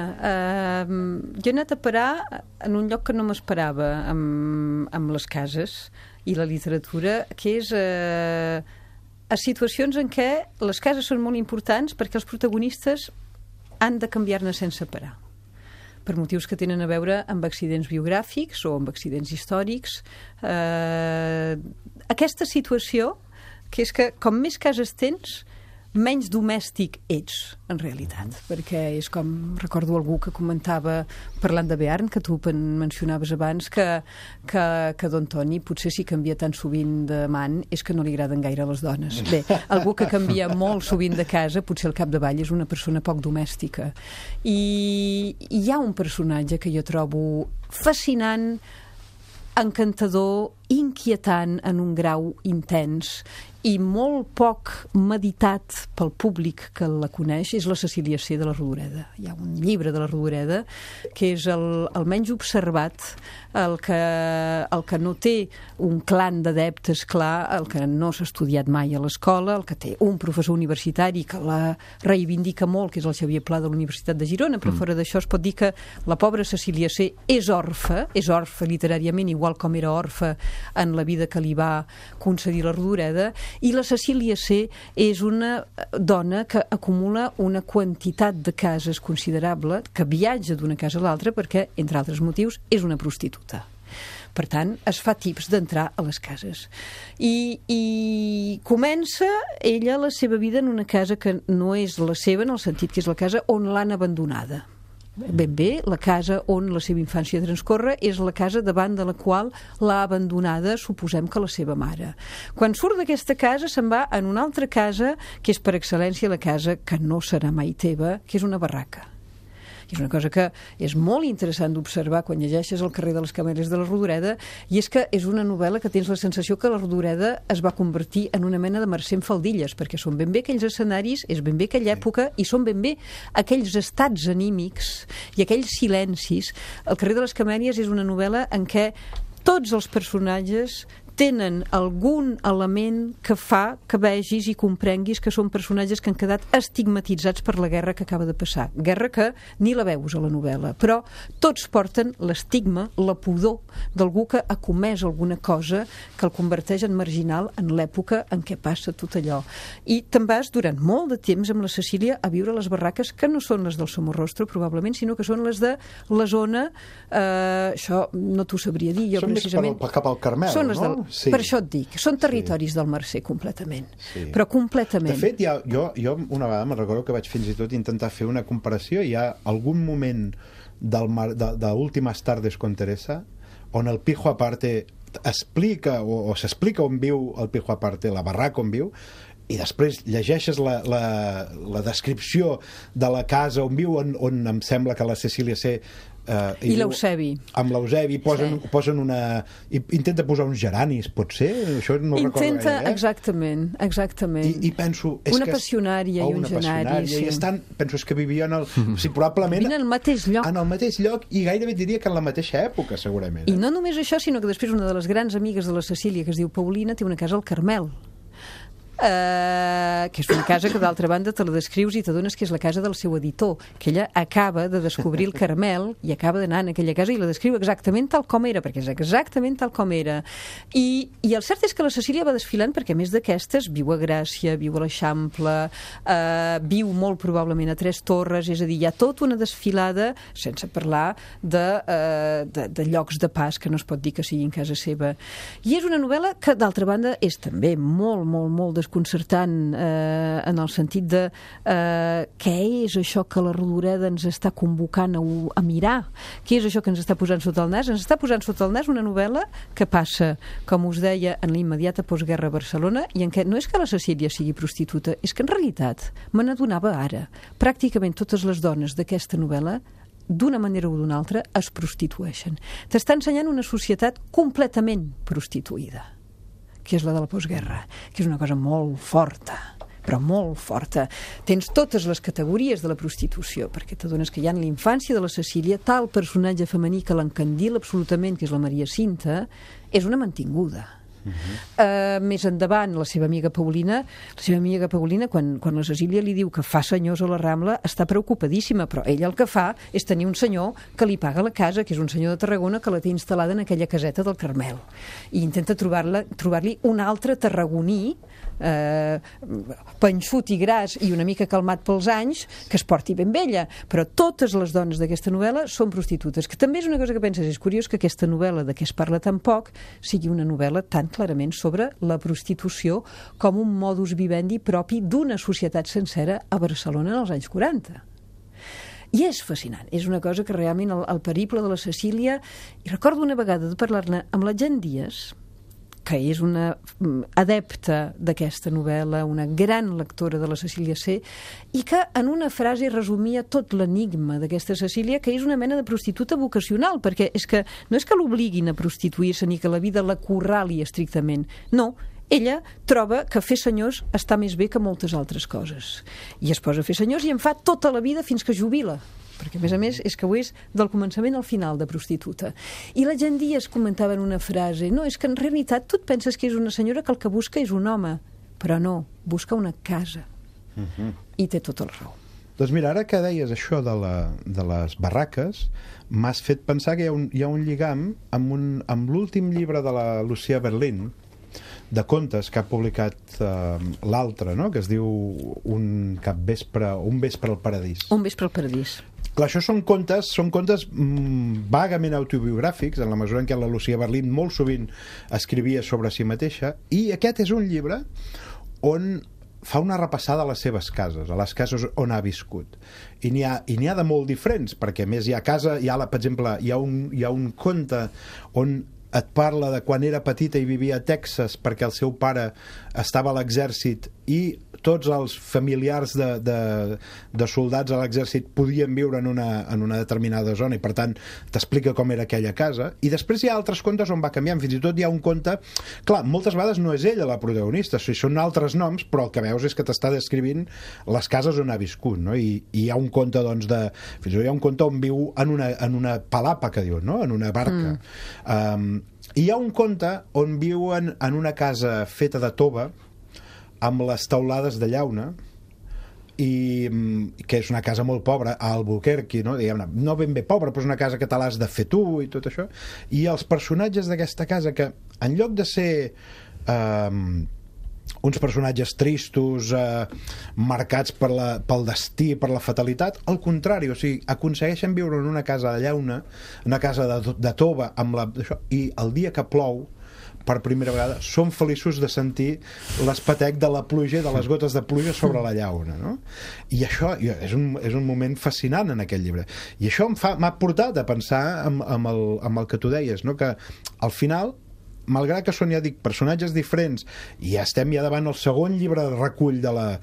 jo he anat a parar en un lloc que no m'esperava amb les cases i la literatura, que és a situacions en què les cases són molt importants perquè els protagonistes han de canviar-ne sense parar, per motius que tenen a veure amb accidents biogràfics o amb accidents històrics. Aquesta situació, que és que com més cases tens, menys domèstic ets, en realitat, perquè és com, recordo algú que comentava, parlant de Bearn, que tu mencionaves abans, que Don Toni potser si canvia tan sovint d'amant és que no li agraden gaire les dones. Bé, algú que canvia molt sovint de casa, potser al capdavall és una persona poc domèstica. I hi ha un personatge que jo trobo fascinant, encantador, inquietant en un grau intens i molt poc meditat pel públic que la coneix, és la Cecília C. de la Rodoreda. Hi ha un llibre de la Rodoreda que és el menys observat, el que no té un clan d'adeptes clar, el que no s'ha estudiat mai a l'escola, el que té un professor universitari que la reivindica molt, que és el Xavier Pla de la Universitat de Girona, però fora d'això es pot dir que la pobra Cecília C. és orfa literàriament, igual com era orfa en la vida que li va concedir la Rodoreda, i la Cecília C. és una dona que acumula una quantitat de cases considerable, que viatja d'una casa a l'altra perquè, entre altres motius, és una prostituta. Per tant, es fa tips d'entrar a les cases. I comença ella la seva vida en una casa que no és la seva, en el sentit que és la casa on l'han abandonada. Ben bé, la casa on la seva infància transcorre és la casa davant de la qual l'ha abandonada, suposem que la seva mare. Quan surt d'aquesta casa se'n va en una altra casa, que és per excel·lència la casa que no serà mai teva, que és una barraca. I és una cosa que és molt interessant d'observar quan llegeixes El carrer de les Camèlies de la Rodoreda, i és que és una novel·la que tens la sensació que la Rodoreda es va convertir en una mena de Mercè en faldilles, perquè són ben bé aquells escenaris, és ben bé aquella època, i són ben bé aquells estats anímics i aquells silencis. El carrer de les Camèlies és una novel·la en què tots els personatges tenen algun element que fa que vegis i comprenguis que són personatges que han quedat estigmatitzats per la guerra que acaba de passar. Guerra que ni la veus a la novel·la, però tots porten l'estigma, la pudor d'algú que ha comès alguna cosa que el converteix en marginal en l'època en què passa tot allò. I te'n vas durant molt de temps amb la Cecília a viure a les barraques que no són les del Somorrostro, probablement, sinó que són les de la zona... això no t'ho sabria dir jo, són precisament. Són més cap al Carmel, són les no? Sí. Per això et dic, són territoris del Mercè completament, però completament. De fet, jo una vegada me'n recordo que vaig fins i tot intentar fer una comparació. Hi ha algun moment de Últimas tardes con Teresa on el Pijo Aparte explica o s'explica on viu el Pijo Aparte, la barraca on viu, i després llegeixes la descripció de la casa on viu, on em sembla que la Cecília C. I l'Eusebi. Amb l'Eusebi posen una... Intenta posar uns geranis, pot ser? Això no ho recordo gaire, Exactament. I penso... Una passionària i un genari. I estan, penso, és que vivien probablement... Vivien al mateix lloc. En el mateix lloc, i gairebé diria que en la mateixa època, segurament. I no només això, sinó que després una de les grans amigues de la Cecília, que es diu Paulina, té una casa al Carmel. Que és una casa que d'altra banda te la descrius i t'adones que és la casa del seu editor, que ella acaba de descobrir el Carmel i acaba d'anar en aquella casa i la descriu exactament tal com era, perquè és exactament tal com era. I el cert és que la Cecília va desfilant perquè, a més d'aquestes, viu a Gràcia, viu a l'Eixample, viu molt probablement a Tres Torres, és a dir, hi ha tota una desfilada, sense parlar de llocs de pas que no es pot dir que siguin casa seva. I és una novel·la que, d'altra banda, és també molt, molt, molt desconcertant en el sentit de què és això que la Rodoreda ens està convocant a mirar, què és això que ens està posant sota el nas. Ens està posant sota el nas una novel·la que passa, com us deia, en l'immediata postguerra a Barcelona, i en què no és que la Cecília sigui prostituta, és que en realitat me n'adonava ara. Pràcticament totes les dones d'aquesta novel·la, d'una manera o d'una altra, es prostitueixen. T'està ensenyant una societat completament prostituïda, que és la de la postguerra, que és una cosa molt forta, però molt forta. Tens totes les categories de la prostitució, perquè t'adones que hi ha en l'infància de la Cecília tal personatge femení que l'encandila absolutament, que és la Maria Cinta, és una mantinguda. Més endavant, la seva amiga Paulina, quan la Cecília li diu que fa senyors a la Rambla, està preocupadíssima, però ella el que fa és tenir un senyor que li paga la casa, que és un senyor de Tarragona que la té instal·lada en aquella caseta del Carmel, i intenta trobar-li un altre tarragoní panxut i gras i una mica calmat pels anys, que es porti ben vella. Però totes les dones d'aquesta novel·la són prostitutes, que també és una cosa que penses, és curiós que aquesta novel·la de què es parla tan poc sigui una novel·la tan clarament sobre la prostitució com un modus vivendi propi d'una societat sencera a Barcelona en els anys 40. I és fascinant, és una cosa que realment el periple de la Cecília, i recordo una vegada de parlar-ne amb la Jan Díaz, que és una adepta d'aquesta novel·la, una gran lectora de la Cecília C, i que en una frase resumia tot l'enigma d'aquesta Cecília, que és una mena de prostituta vocacional, perquè és que no és que l'obliguin a prostituir-se ni que la vida l'acorrali estrictament, no, ella troba que fer senyors està més bé que moltes altres coses. I es posa a fer senyors i en fa tota la vida fins que jubila, perquè a més és que ho és del començament al final de prostituta. I la Jan Díaz comentava en una frase, no, és que en realitat tu et penses que és una senyora que el que busca és un home, però no, busca una casa. I té tota la raó. Doncs mira, ara que deies això de les barraques, m'has fet pensar que hi ha un lligam amb l'últim llibre de la Lucía Berlín, de contes que ha publicat l'altre, no? Que es diu Un vespre al paradís. Un vespre al paradís. Clar, això són contes vagament autobiogràfics, en la mesura en què la Lucía Berlín molt sovint escrivia sobre si mateixa, i aquest és un llibre on fa una repassada a les seves cases, a les cases on ha viscut. I n'hi ha de molt diferents, perquè a més hi ha casa, per exemple, hi ha un conte on et parla de quan era petita i vivia a Texas perquè el seu pare estava a l'exèrcit i tots els familiars de soldats a l'exèrcit podien viure en una determinada zona i per tant t'explica com era aquella casa. I després hi ha altres contes on va canviant, fins i tot hi ha un conte, clar, moltes vegades no és ella la protagonista, són altres noms, però el que veus és que t'està descrivint les cases on ha viscut, no? I hi ha un conte fins i tot hi ha un conte on viu en una palapa, que diu, no? En una barca. Hi ha un conte on viuen en una casa feta de tova amb les teulades de llauna, i que és una casa molt pobra a Albuquerque, no? Diguem-ne, no ben bé pobra, però és una casa que te l'has de fer tu i tot això. I els personatges d'aquesta casa, que en lloc de ser uns personatges tristos, marcats pel destí, per la fatalitat, al contrari, o sigui, aconsegueixen viure en una casa de llauna, una casa de tova, i el dia que plou, per primera vegada, són feliços de sentir l'espetec de la pluja i de les gotes de pluja sobre la llauna, no? I això és un moment fascinant en aquest llibre. I això m'ha portat a pensar amb el que tu deies, no? Que al final, malgrat que són, ja dic, personatges diferents, i ja estem davant el segon llibre de recull de la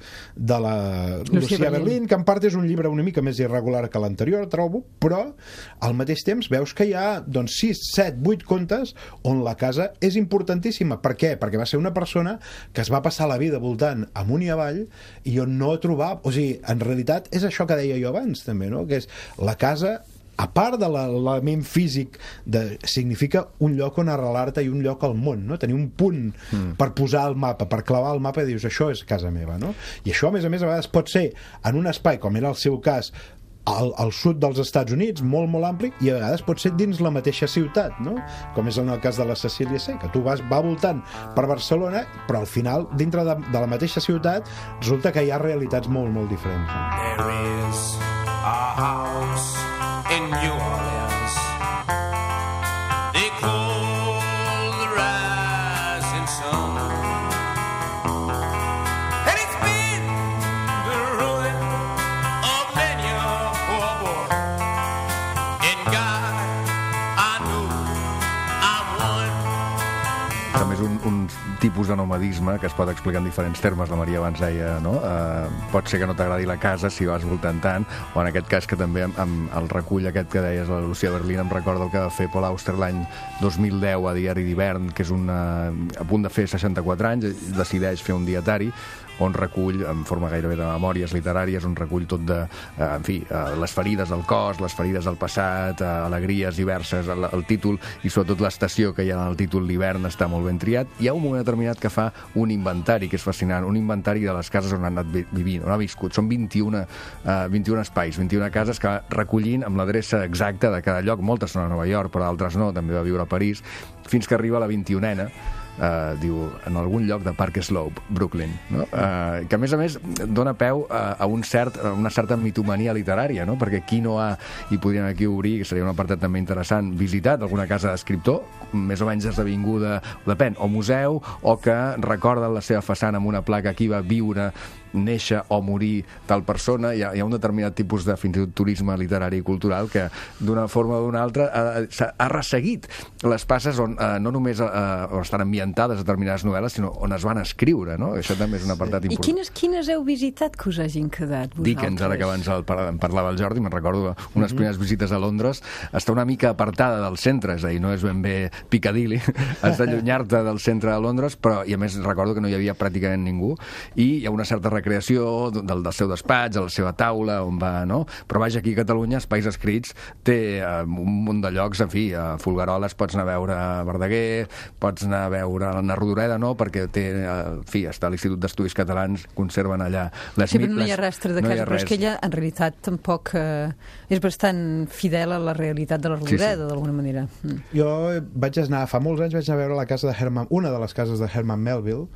Lucía Berlín, que en part és un llibre una mica més irregular que l'anterior, trobo, però al mateix temps veus que hi ha 6, 7, 8 contes on la casa és importantíssima. Per què? Perquè va ser una persona que es va passar la vida voltant amunt i avall i on no trobava... O sigui, en realitat és això que deia jo abans també, no? Que és la casa, a part de l'element físic, significa un lloc on arrelar-te i un lloc al món, no? Tenir un punt per posar al mapa, per clavar al mapa i dius, això és casa meva, no? I això, a més, a vegades pot ser en un espai, com era el seu cas, al sud dels Estats Units, molt, molt ampli, i a vegades pot ser dins la mateixa ciutat, no? Com és en el cas de la Cecília C, que tu va voltant per Barcelona, però al final, dintre de la mateixa ciutat, resulta que hi ha realitats molt, molt diferents. There is a house in New Orleans they call the rising sun, and it's been the ruin of many a poor boy. In God I know I'm one. També és un tipus de nomadisme que es pot explicar en diferents termes. La Maria abans deia, no? Pot ser que no t'agradi la casa si vas voltant tant, o en aquest cas que també amb el recull aquest que deies, la Lucía Berlín, em recorda el que va fer Paul Auster l'any 2010 a Diari d'Hivern, que és a punt de fer 64 anys, decideix fer un dietari on recull, en forma gairebé de memòries literàries, on recull tot de, en fi, les ferides del cos, les ferides del passat, alegries diverses, el títol i sobretot l'estació que hi ha en el títol, l'hivern, està molt ben triat. Hi ha un moment determinat que fa un inventari, que és fascinant, un inventari de les cases on ha anat vivint, on ha viscut. Són 21 espais, 21 cases que recollint amb l'adreça exacta de cada lloc. Moltes són a Nova York, però altres no, també va viure a París, fins que arriba a la 21a, diu, en algun lloc de Park Slope, Brooklyn, no? Que a més dona peu a una certa mitomania literària, no? Perquè qui no ha, i podríem aquí obrir, que seria un apartat també interessant, visitat alguna casa d'escriptor, més o menys esdevinguda, depèn, o museu, o que recorda la seva façana amb una placa aquí va viure, néixer o morir tal persona. Hi ha un determinat tipus de fins i tot turisme literari i cultural que d'una forma o d'una altra ha resseguit les passes on no només estan ambientades determinades novel·les, sinó on es van escriure, no? Això també és un apartat important. I quines heu visitat que us hagin quedat vosaltres? Dickens, ara que abans en parlava el Jordi, me'n recordo unes primeres visites a Londres, està una mica apartada del centre, és a dir, no és ben bé Piccadilly, has d'allunyar-te del centre de Londres, però, i a més recordo que no hi havia pràcticament ningú, i hi ha una certa recreació del seu despatx, a la seva taula, on va, no? Però vaja, aquí a Catalunya, Espais Escrits té un munt de llocs, en fi, a Folgueroles pots anar a veure Verdaguer, pots anar a veure la Rodoreda, no? Perquè té, en fi, està a l'Institut d'Estudis Catalans, conserven allà les... Sí, però no hi ha rastre de casa, però és que ella, en realitat, tampoc és bastant fidel a la realitat de la Rodoreda, d'alguna manera. Jo vaig anar, fa molts anys, vaig anar a veure la casa de una de les cases de Herman Melville,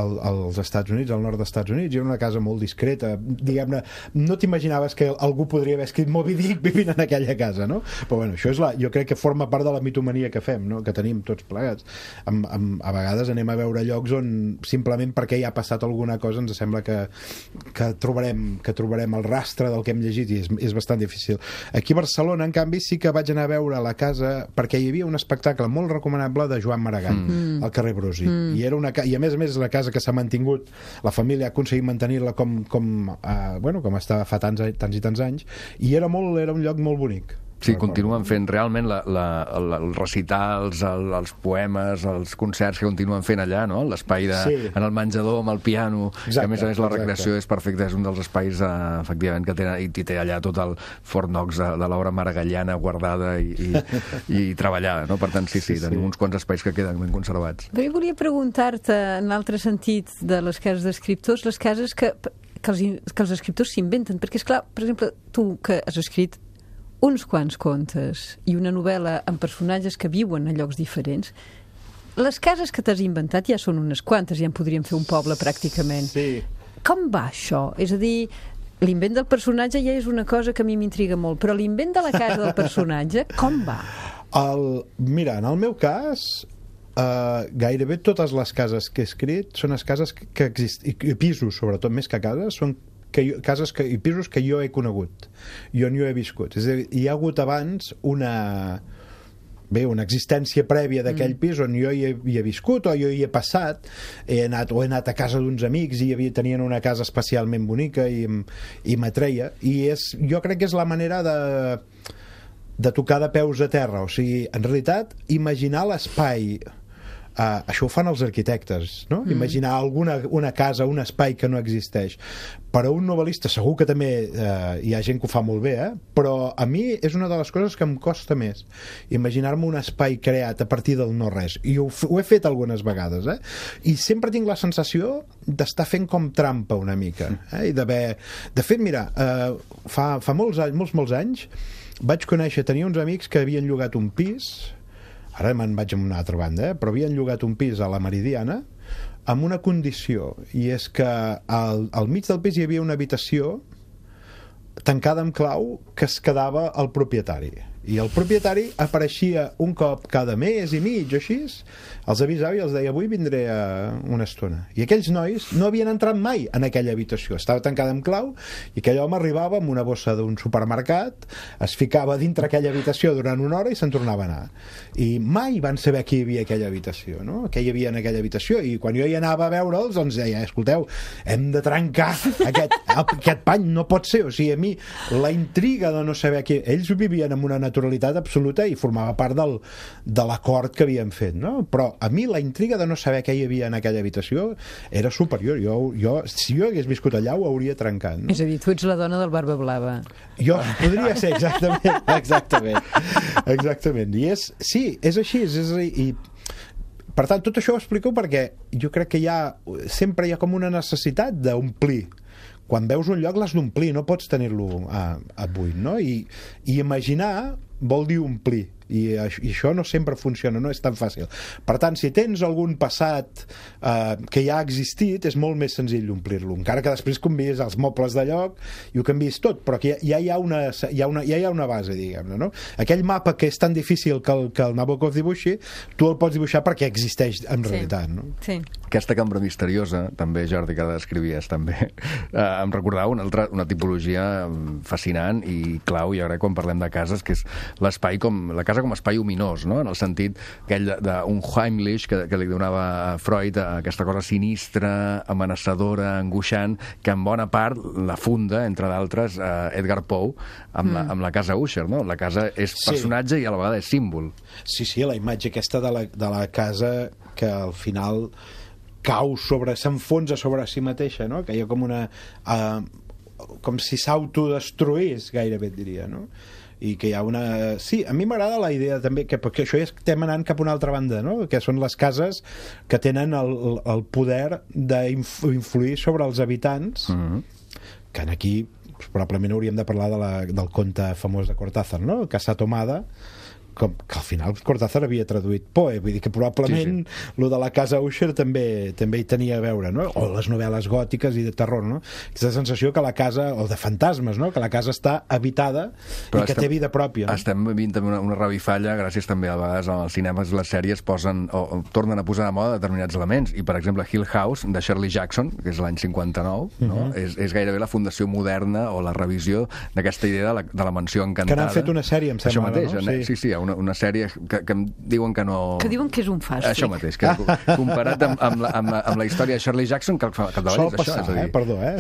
als Estats Units, al nord dels Estats Units, i era una casa molt discreta, diguem-ne, no t'imaginaves que algú podria haver escrit Moby Dick vivint en aquella casa, no? Però bueno, això és jo crec que forma part de la mitomania que fem, no? Que tenim tots plegats. A vegades anem a veure llocs on simplement perquè hi ha passat alguna cosa ens sembla que trobarem el rastre del que hem llegit, i és bastant difícil. Aquí a Barcelona, en canvi, sí que vaig anar a veure la casa perquè hi havia un espectacle molt recomanable de Joan Maragall al carrer Brusi, i a més la casa que s'ha mantingut, la família ha aconseguit mantenir-la com estava fa tants i tants anys, i era un lloc molt bonic. Sí, continuen fent realment el recitar, els poemes, els concerts que continuen fent allà, no? L'espai en el menjador amb el piano, que a més la recreació és perfecta, és un dels espais efectivament que tenen, i té allà tot el Fort Knox de l'obra maragalliana guardada i treballada, no? Per tant, sí, tenim uns quants espais que queden ben conservats. Però jo volia preguntar-te, en l'altre sentit de les cases d'escriptors, les cases que els escriptors s'inventen, perquè, esclar, per exemple, tu que has escrit uns quants contes i una novel·la amb personatges que viuen a llocs diferents, les cases que t'has inventat ja són unes quantes, ja en podríem fer un poble pràcticament. Sí. Com va això? És a dir, l'invent del personatge ja és una cosa que a mi m'intriga molt, però l'invent de la casa del personatge, com va? Mira, en el meu cas, gairebé totes les cases que he escrit són les cases que existen, i pisos, sobretot, més que cases, són cases i pisos que jo he conegut, jo no he viscut. És a dir, hi ha hagut abans una existència prèvia d'aquell pis on jo hi he viscut o jo hi he passat, he anat a casa d'uns amics i tenien una casa especialment bonica i m'atreia, i jo crec que és la manera de tocar de peus a terra. O sigui, en realitat, imaginar l'espai, això ho fan els arquitectes, no? Imaginar una casa, un espai que no existeix. Per a un novel·lista segur que també hi ha gent que ho fa molt bé, però a mi és una de les coses que em costa més, imaginar-me un espai creat a partir del no-res, i ho he fet algunes vegades, i sempre tinc la sensació d'estar fent com trampa una mica, i d'haver... De fet, mira, fa molts anys vaig conèixer, tenia uns amics que havien llogat un pis, ara me'n vaig a una altra banda, però havien llogat un pis a la Meridiana amb una condició, i és que al mig del pis hi havia una habitació tancada amb clau que es quedava el propietari, i el propietari apareixia un cop cada mes i mig o així, els avisava i els deia avui vindré una estona, i aquells nois no havien entrat mai en aquella habitació, estava tancada amb clau, i aquell home arribava amb una bossa d'un supermercat, es ficava dintre aquella habitació durant una hora i se'n tornava a anar, i mai van saber qui hi havia aquella habitació, no? Què hi havia en aquella habitació, i quan jo hi anava a veure'ls doncs deia, escolteu, hem de trencar aquest pany, no pot ser, o sigui, a mi la intriga de no saber qui... Ells vivien en una naturalitat absoluta i formava part de l'acord que havíem fet, no? Però a mi la intriga de no saber què hi havia en aquella habitació era superior. Si jo hagués viscut allà ho hauria trencat, no? És a dir, tu ets la dona del Barba Blava. Jo podria ser, exactament. I és així, i per tant, tot això ho explico perquè jo crec que sempre hi ha com una necessitat d'omplir. Quan veus un lloc l'has d'omplir, no pots tenir-lo a buit, no? I imaginar vol dir omplir, i això no sempre funciona, no és tan fàcil. Per tant, si tens algun passat que ja ha existit, és molt més senzill omplir-lo, encara que després canviïs els mobles de lloc i ho canviïs tot, però que ja hi ha una base, diguem-ne, no? Aquell mapa que és tan difícil que el Nabokov dibuixi, tu el pots dibuixar perquè existeix en realitat, no? Sí. Aquesta cambra misteriosa, també, Jordi, que descrivies també, em recordava una tipologia fascinant i clau, jo crec, quan parlem de cases, que és l'espai la casa com a espai ominós, no? En el sentit aquell d'un Heimlich que li donava a Freud, aquesta cosa sinistra, amenaçadora, angoixant, que en bona part la funda, entre d'altres, Edgar Poe, amb la casa Usher, no? La casa és personatge i a la vegada és símbol. Sí, la imatge aquesta de la casa que al final s'enfonsa sobre si mateixa, no? Que hi ha com com si s'autodestruís, gairebé et diria, no? I que hi ha una... Sí, a mi m'agrada la idea també, perquè això ja estem anant cap a una altra banda, no? Que són les cases que tenen el poder d'influir sobre els habitants, que aquí probablement hauríem de parlar del conte famós de Cortázar, no? Casa Tomada, que al final Cortázar havia traduït Poe, vull dir que probablement lo de la casa Usher també hi tenia a veure, no? O les novel·les gòtiques i de terror, no? Aquesta sensació que la casa, o de fantasmes, no? Que la casa està habitada i que té vida pròpia, no? Estem vivint també una revifalla gràcies també a vegades als cinemes, les sèries posen o tornen a posar de moda determinats elements, i per exemple Hill House de Shirley Jackson, que és l'any 59, no? És gairebé la fundació moderna o la revisió d'aquesta idea de la mansió encantada, que n'han fet una sèrie, em sembla, això mateix, no? Sí, una sèrie que em diuen que no... Que diuen que és un fàstic. Això mateix, que comparat amb la història de Shirley Jackson, que al capdavall sol passar, és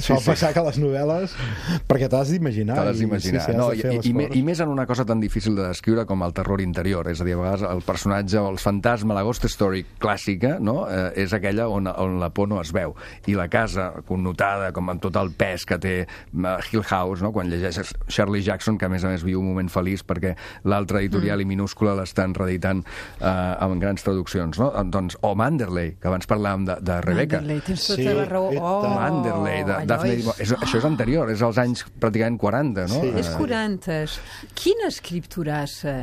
això, sol passar que les novel·les, perquè t'has d'imaginar. I més en una cosa tan difícil de descriure com el terror interior, és a dir, a vegades el personatge o el fantasma, la ghost story clàssica, no? És aquella on la por no es veu, i la casa connotada com amb tot el pes que té Hill House, no? Quan llegeixes Shirley Jackson, que a més viu un moment feliç perquè l'altra editorial minúscula l'estan reeditant amb grans traduccions, no? Doncs, o Manderley, que abans parlàvem de Rebecca. Manderley, tens tota la raó. Manderley, de Daphne Du Maurier. Això és anterior, és als anys pràcticament 40, no? Sí. És 40. Quina escripturassa,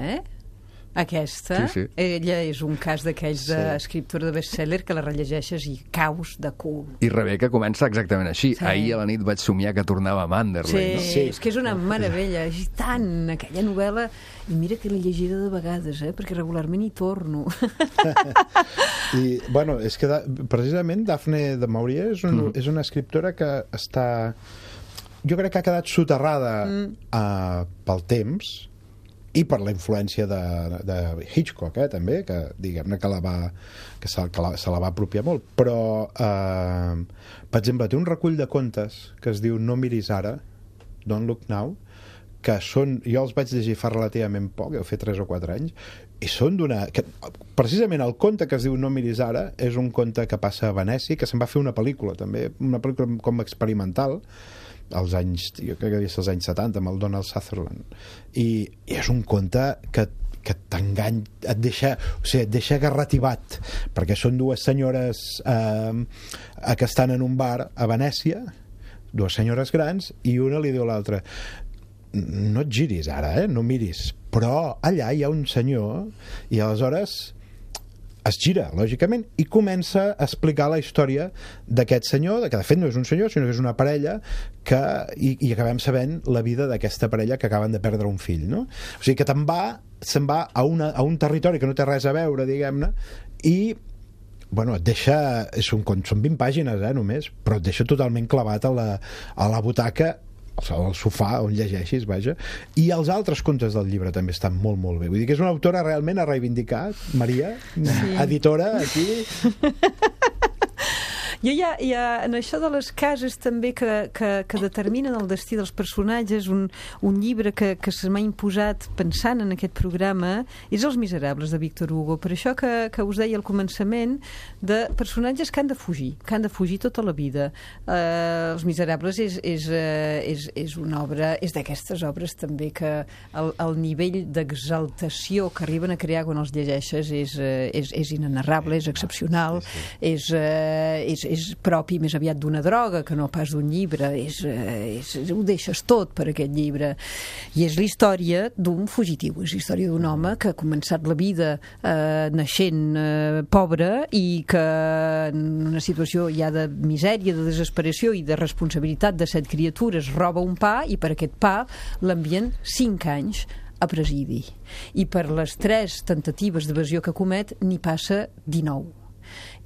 Aquesta, ella és un cas d'aquells d'escriptora de best-seller que la rellegeixes i caus de cul. I Rebecca comença exactament així. Ahir a la nit vaig somiar que tornava a Manderley, no? Sí, és que és una meravella. És tant, aquella novel·la. I mira que l'he llegida de vegades, perquè regularment hi torno. I, bueno, és que precisament Daphne du Maurier és una escriptora que està... Jo crec que ha quedat soterrada pel temps i per la influència de Hitchcock, també, que diguem-ne que se la va apropiar molt. Però, per exemple, té un recull de contes que es diu No miris ara, Don't Look Now, que són... Jo els vaig llegir fa relativament poc, heu fet 3 o 4 anys, i són precisament el conte que es diu No miris ara és un conte que passa a Venècia, que se'n va fer una pel·lícula, també, una pel·lícula com experimental, als anys, jo crec que és els anys 70, amb el Donald Sutherland, i és un conte que t'engany, et deixa garrativat, perquè són dues senyores que estan en un bar a Venècia, dues senyores grans, i una li diu a l'altra: no et giris ara, no miris, però allà hi ha un senyor, i aleshores es gira, lògicament, i comença a explicar la història d'aquest senyor, que de fet no és un senyor, sinó que és una parella, i acabem sabent la vida d'aquesta parella que acaben de perdre un fill, no? O sigui que se'n va a un territori que no té res a veure, diguem-ne, i bueno, et deixa... Són 20 pàgines, només, però et deixa totalment clavat a la butaca, al sofà on llegeixis, vaja. I els altres contes del llibre també estan molt, molt bé. Vull dir que és una autora realment a reivindicar, Maria, editora, aquí. Jo en això de les cases també que determinen el destí dels personatges, un llibre que se m'ha imposat pensant en aquest programa és Els Miserables, de Víctor Hugo. Per això que us deia al començament, de personatges que han de fugir tota la vida. Els Miserables és una obra, és d'aquestes obres també que el nivell d'exaltació que arriben a crear quan els llegeixes és inenarrable, és excepcional, és propi més aviat d'una droga que no pas d'un llibre, ho deixes tot per aquest llibre, i és la història d'un fugitiu, és la història d'un home que ha començat la vida naixent pobre i que en una situació ja de misèria, de desesperació i de responsabilitat de 7 criatures roba un pa, i per aquest pa l'envien 5 anys a presidi, i per les 3 tentatives d'evasió que comet n'hi passa 19.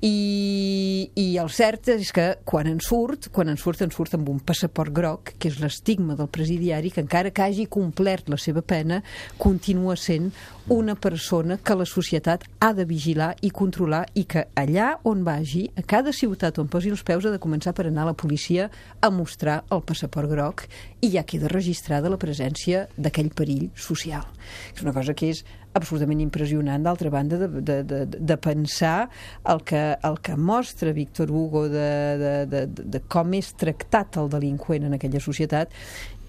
I el cert és que quan en surt amb un passaport groc, que és l'estigma del presidiari, que encara que hagi complert la seva pena continua sent una persona que la societat ha de vigilar i controlar, i que allà on vagi, a cada ciutat on posi els peus, ha de començar per anar a la policia a mostrar el passaport groc, i ja queda registrada la presència d'aquell perill social. És una cosa que és absolutament impressionant, d'altra banda, de pensar el que mostra Víctor Hugo de com és tractat el delinqüent en aquella societat.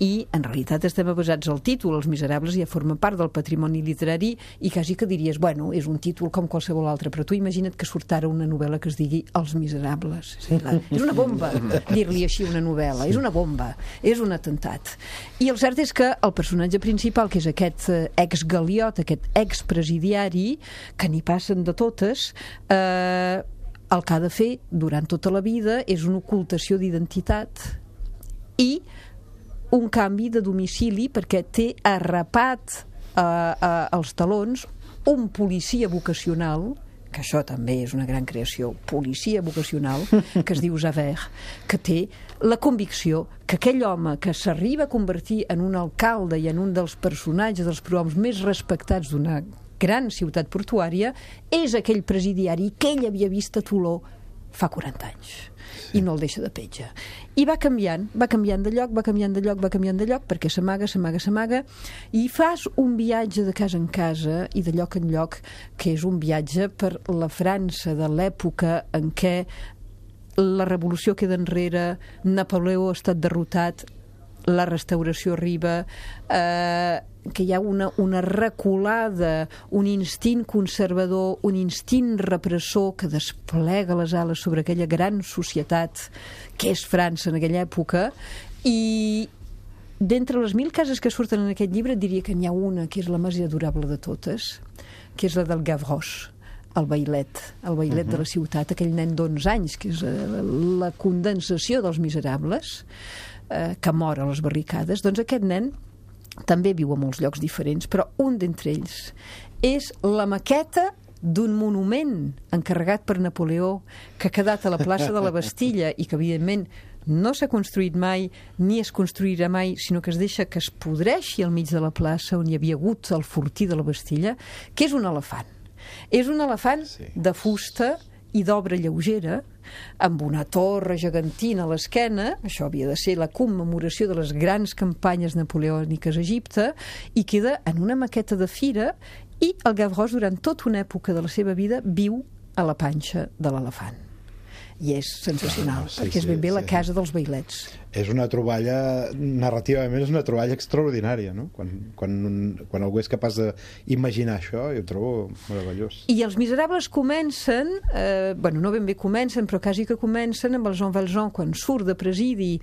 I en realitat estem basats al títol. Els Miserables ja formen part del patrimoni literari, i quasi que diries, bueno, és un títol com qualsevol altre, però tu imagina't que surt ara una novel·la que es digui Els Miserables. És una bomba dir-li així una novel·la, és una bomba, és un atemptat. I el cert és que el personatge principal, que és aquest ex-galiot, aquest ex-presidiari, que n'hi passen de totes, el que ha de fer durant tota la vida és una ocultació d'identitat i un canvi de domicili, perquè té arrapat als talons un policia vocacional, que això també és una gran creació, policia vocacional, que es diu Javert, que té la convicció que aquell home que s'arriba a convertir en un alcalde i en un dels personatges, dels prohoms més respectats d'una gran ciutat portuària, és aquell presidiari que ell havia vist a Toló fa 40 anys. I no el deixa de petja. I va canviant de lloc, perquè s'amaga, i fas un viatge de casa en casa i de lloc en lloc, que és un viatge per la França de l'època en què la revolució queda enrere, Napoleó ha estat derrotat, la restauració arriba, que hi ha una reculada, un instint conservador, un instint repressor que desplega les ales sobre aquella gran societat que és França en aquella època. I d'entre les 1000 cases que surten en aquest llibre diria que n'hi ha una que és la més adorable de totes, que és la del Gavroche, el vailet de la ciutat, aquell nen d'11 anys, que és la condensació dels Miserables, que mor a les barricades. Doncs aquest nen també viu a molts llocs diferents, però un d'entre ells és la maqueta d'un monument encarregat per Napoleó, que ha quedat a la plaça de la Bastilla i que evidentment no s'ha construït mai ni es construirà mai, sinó que es deixa que es podreixi al mig de la plaça on hi havia hagut el fortí de la Bastilla, que és un elefant. És un elefant de fusta i d'obra lleugera, amb una torre gegantina a l'esquena. Això havia de ser la commemoració de les grans campanyes napoleòniques a Egipte, i queda en una maqueta de fira, i el Gavroche durant tota una època de la seva vida viu a la panxa de l'elefant. I és sensacional, perquè és ben bé la casa dels vailets. És una troballa, narrativament és una troballa extraordinària, no? Quan algú és capaç d'imaginar això, jo ho trobo meravellós. I Els Miserables comencen, no ben bé comencen, però quasi que comencen amb el Jean Valjean quan surt de presidi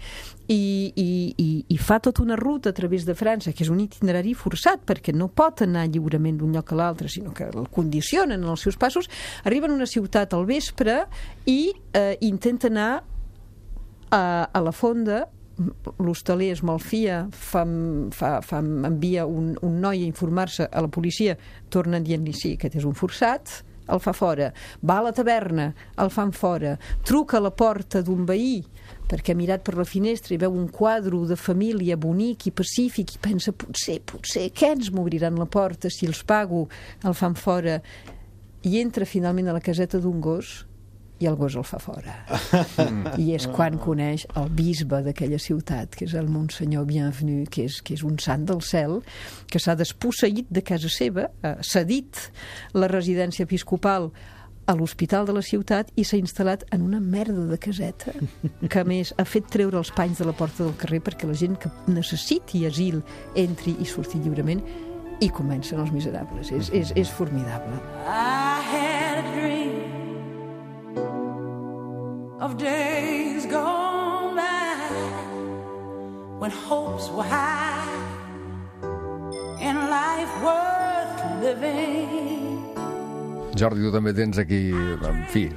i fa tota una ruta a través de França, que és un itinerari forçat, perquè no pot anar lliurement d'un lloc a l'altre, sinó que el condicionen en els seus passos. Arriben a una ciutat al vespre i intenta anar a la fonda. L'hostaler es malfia, envia un noi a informar-se a la policia, tornen dient-li sí, aquest és un forçat, el fa fora. Va a la taverna, el fan fora. Truca a la porta d'un veí perquè ha mirat per la finestra i veu un quadre de família bonic i pacífic i pensa, potser, què ens m'obriran la porta si els pago? El fan fora i entra finalment a la caseta d'un gos i el gos el fa fora. I és quan coneix el bisbe d'aquella ciutat, que és el Monsenyor Bienvenu, que és un sant del cel, que s'ha desposseït de casa seva, cedit la residència episcopal a l'hospital de la ciutat i s'ha instal·lat en una merda de caseta, que a més ha fet treure els panys de la porta del carrer perquè la gent que necessiti asil entri i surti lliurement, i comencen els miserables. És formidable. I had a dream of days gone by when hopes were high and life worth living. Jordi, tu també tens aquí, en fi,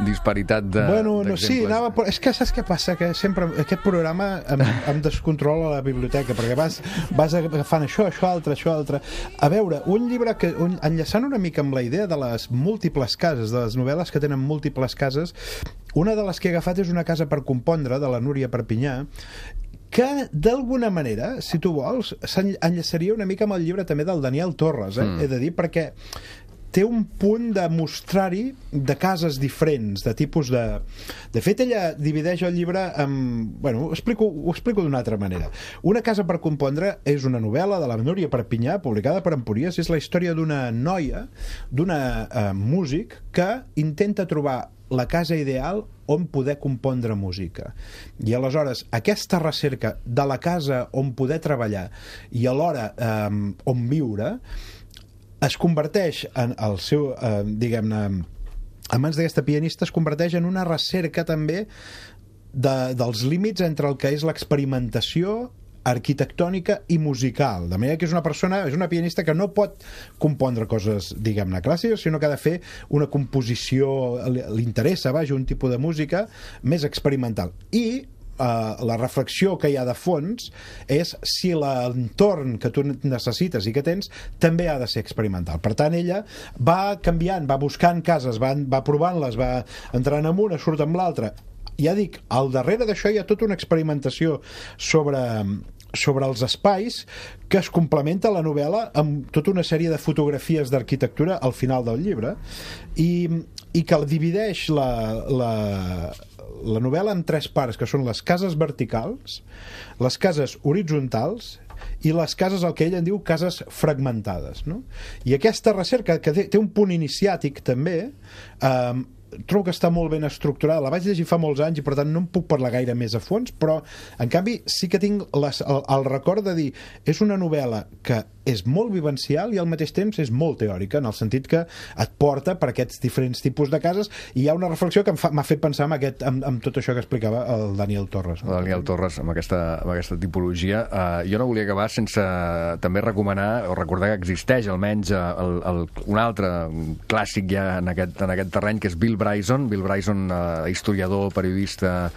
disparitat d'exemples. Sí, és que saps què passa? Que sempre aquest programa em descontrola la biblioteca, perquè vas agafant això, altre. A veure, un llibre que, enllaçant una mica amb la idea de les múltiples cases, de les novel·les que tenen múltiples cases, una de les que he agafat és Una casa per compondre, de la Núria Perpinyà, que d'alguna manera, si tu vols, s'enllaçaria una mica amb el llibre també del Daniel Torres, he de dir, perquè té un punt de mostrar-hi de cases diferents, de tipus de... De fet, ella divideix el llibre amb... Bueno, ho explico d'una altra manera. Una casa per compondre és una novel·la de la Núria Perpinyà, publicada per Empúries. És la història d'una noia, d'una músic, que intenta trobar la casa ideal on poder compondre música. I aleshores, aquesta recerca de la casa on poder treballar i alhora on viure es converteix en el seu, diguem-ne, a mans d'aquesta pianista, es converteix en una recerca també dels límits entre el que és l'experimentació arquitectònica i musical, de manera que és una pianista que no pot compondre coses, diguem-ne, clàssiques, sinó que ha de fer una composició, li interessa, un tipus de música més experimental. I la reflexió que hi ha de fons és si l'entorn que tu necessites i que tens també ha de ser experimental. Per tant, ella va canviant, va buscant cases, va provant-les, va entrant en una, surt amb l'altra. Ja dic, al darrere d'això hi ha tota una experimentació sobre els espais que es complementa la novel·la amb tota una sèrie de fotografies d'arquitectura al final del llibre i que divideix la novel·la en 3 parts, que són les cases verticals, les cases horitzontals i les cases, el que ell en diu cases fragmentades, no? I aquesta recerca, que té un punt iniciàtic també, trobo que està molt ben estructurada. La vaig llegir fa molts anys i per tant no em puc parlar gaire més a fons, però en canvi sí que tinc el record de dir, és una novel·la que és molt vivencial i al mateix temps és molt teòrica, en el sentit que et porta per aquests diferents tipus de cases, i hi ha una reflexió que m'ha fet pensar en tot això que explicava el Daniel Torres. El Daniel Torres, amb aquesta tipologia. Jo no volia acabar sense també recomanar o recordar que existeix almenys un altre clàssic ja en aquest terreny, que és Bill Bryson, historiador, periodista,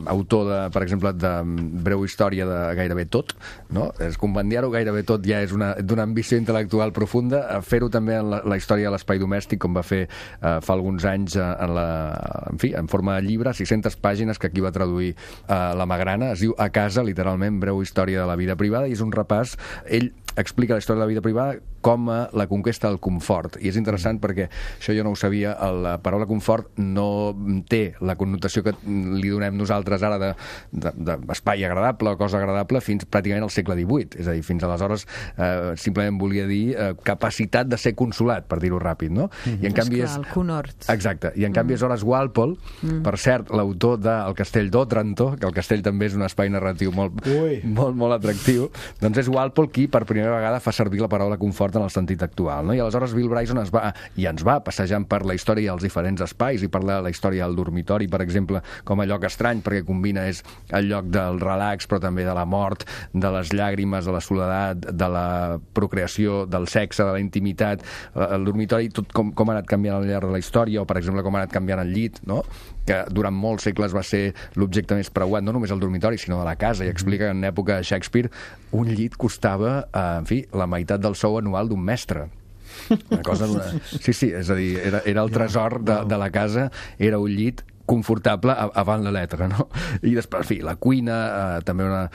autor, per exemple, de Breu història de gairebé tot, no? Compendiar-ho gairebé tot ja és d'una ambició intel·lectual profunda. Fer-ho també en la història de l'espai domèstic, com va fer fa alguns anys en forma de llibre, 600 pàgines, que aquí va traduir la Magrana. Es diu A casa, literalment, Breu història de la vida privada, i és un repàs. Ell explica la història de la vida privada com a la conquesta del confort, i és interessant perquè això jo no ho sabia. La paraula confort no té la connotació que li donem nosaltres ara d'espai agradable o cosa agradable fins pràcticament al segle XVIII, és a dir, fins aleshores simplement volia dir capacitat de ser consolat, per dir-ho ràpid, no? I en canvi és... el conhort. Exacte, i en canvi és Horace Walpole, per cert, l'autor del Castell d'Òtranto, que el castell també és un espai narratiu molt atractiu, doncs és Walpole qui per primera vegada fa servir la paraula confort en el sentit actual, no? I aleshores Bill Bryson ens va passejant per la història dels diferents espais i parla de la història del dormitori, per exemple, com a lloc estrany, perquè combina és el lloc del relax, però també de la mort, de les llàgrimes, de la soledat, de la procreació, del sexe, de la intimitat. El dormitori, tot com ha anat canviant al llarg de la història, o per exemple com ha anat canviant el llit, no? Que durant molts segles va ser l'objecte més preuat, no només el dormitori, sinó de la casa, i explica que en època de Shakespeare un llit costava, en fi, la meitat del sou anual d'un mestre. Una cosa Sí, és a dir, era el tresor de la casa, era un llit confortable avant la letra, no? I després, en fi, la cuina, també una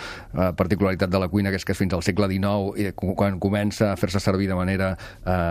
particularitat de la cuina, que és que fins al segle XIX, quan comença a fer-se servir de manera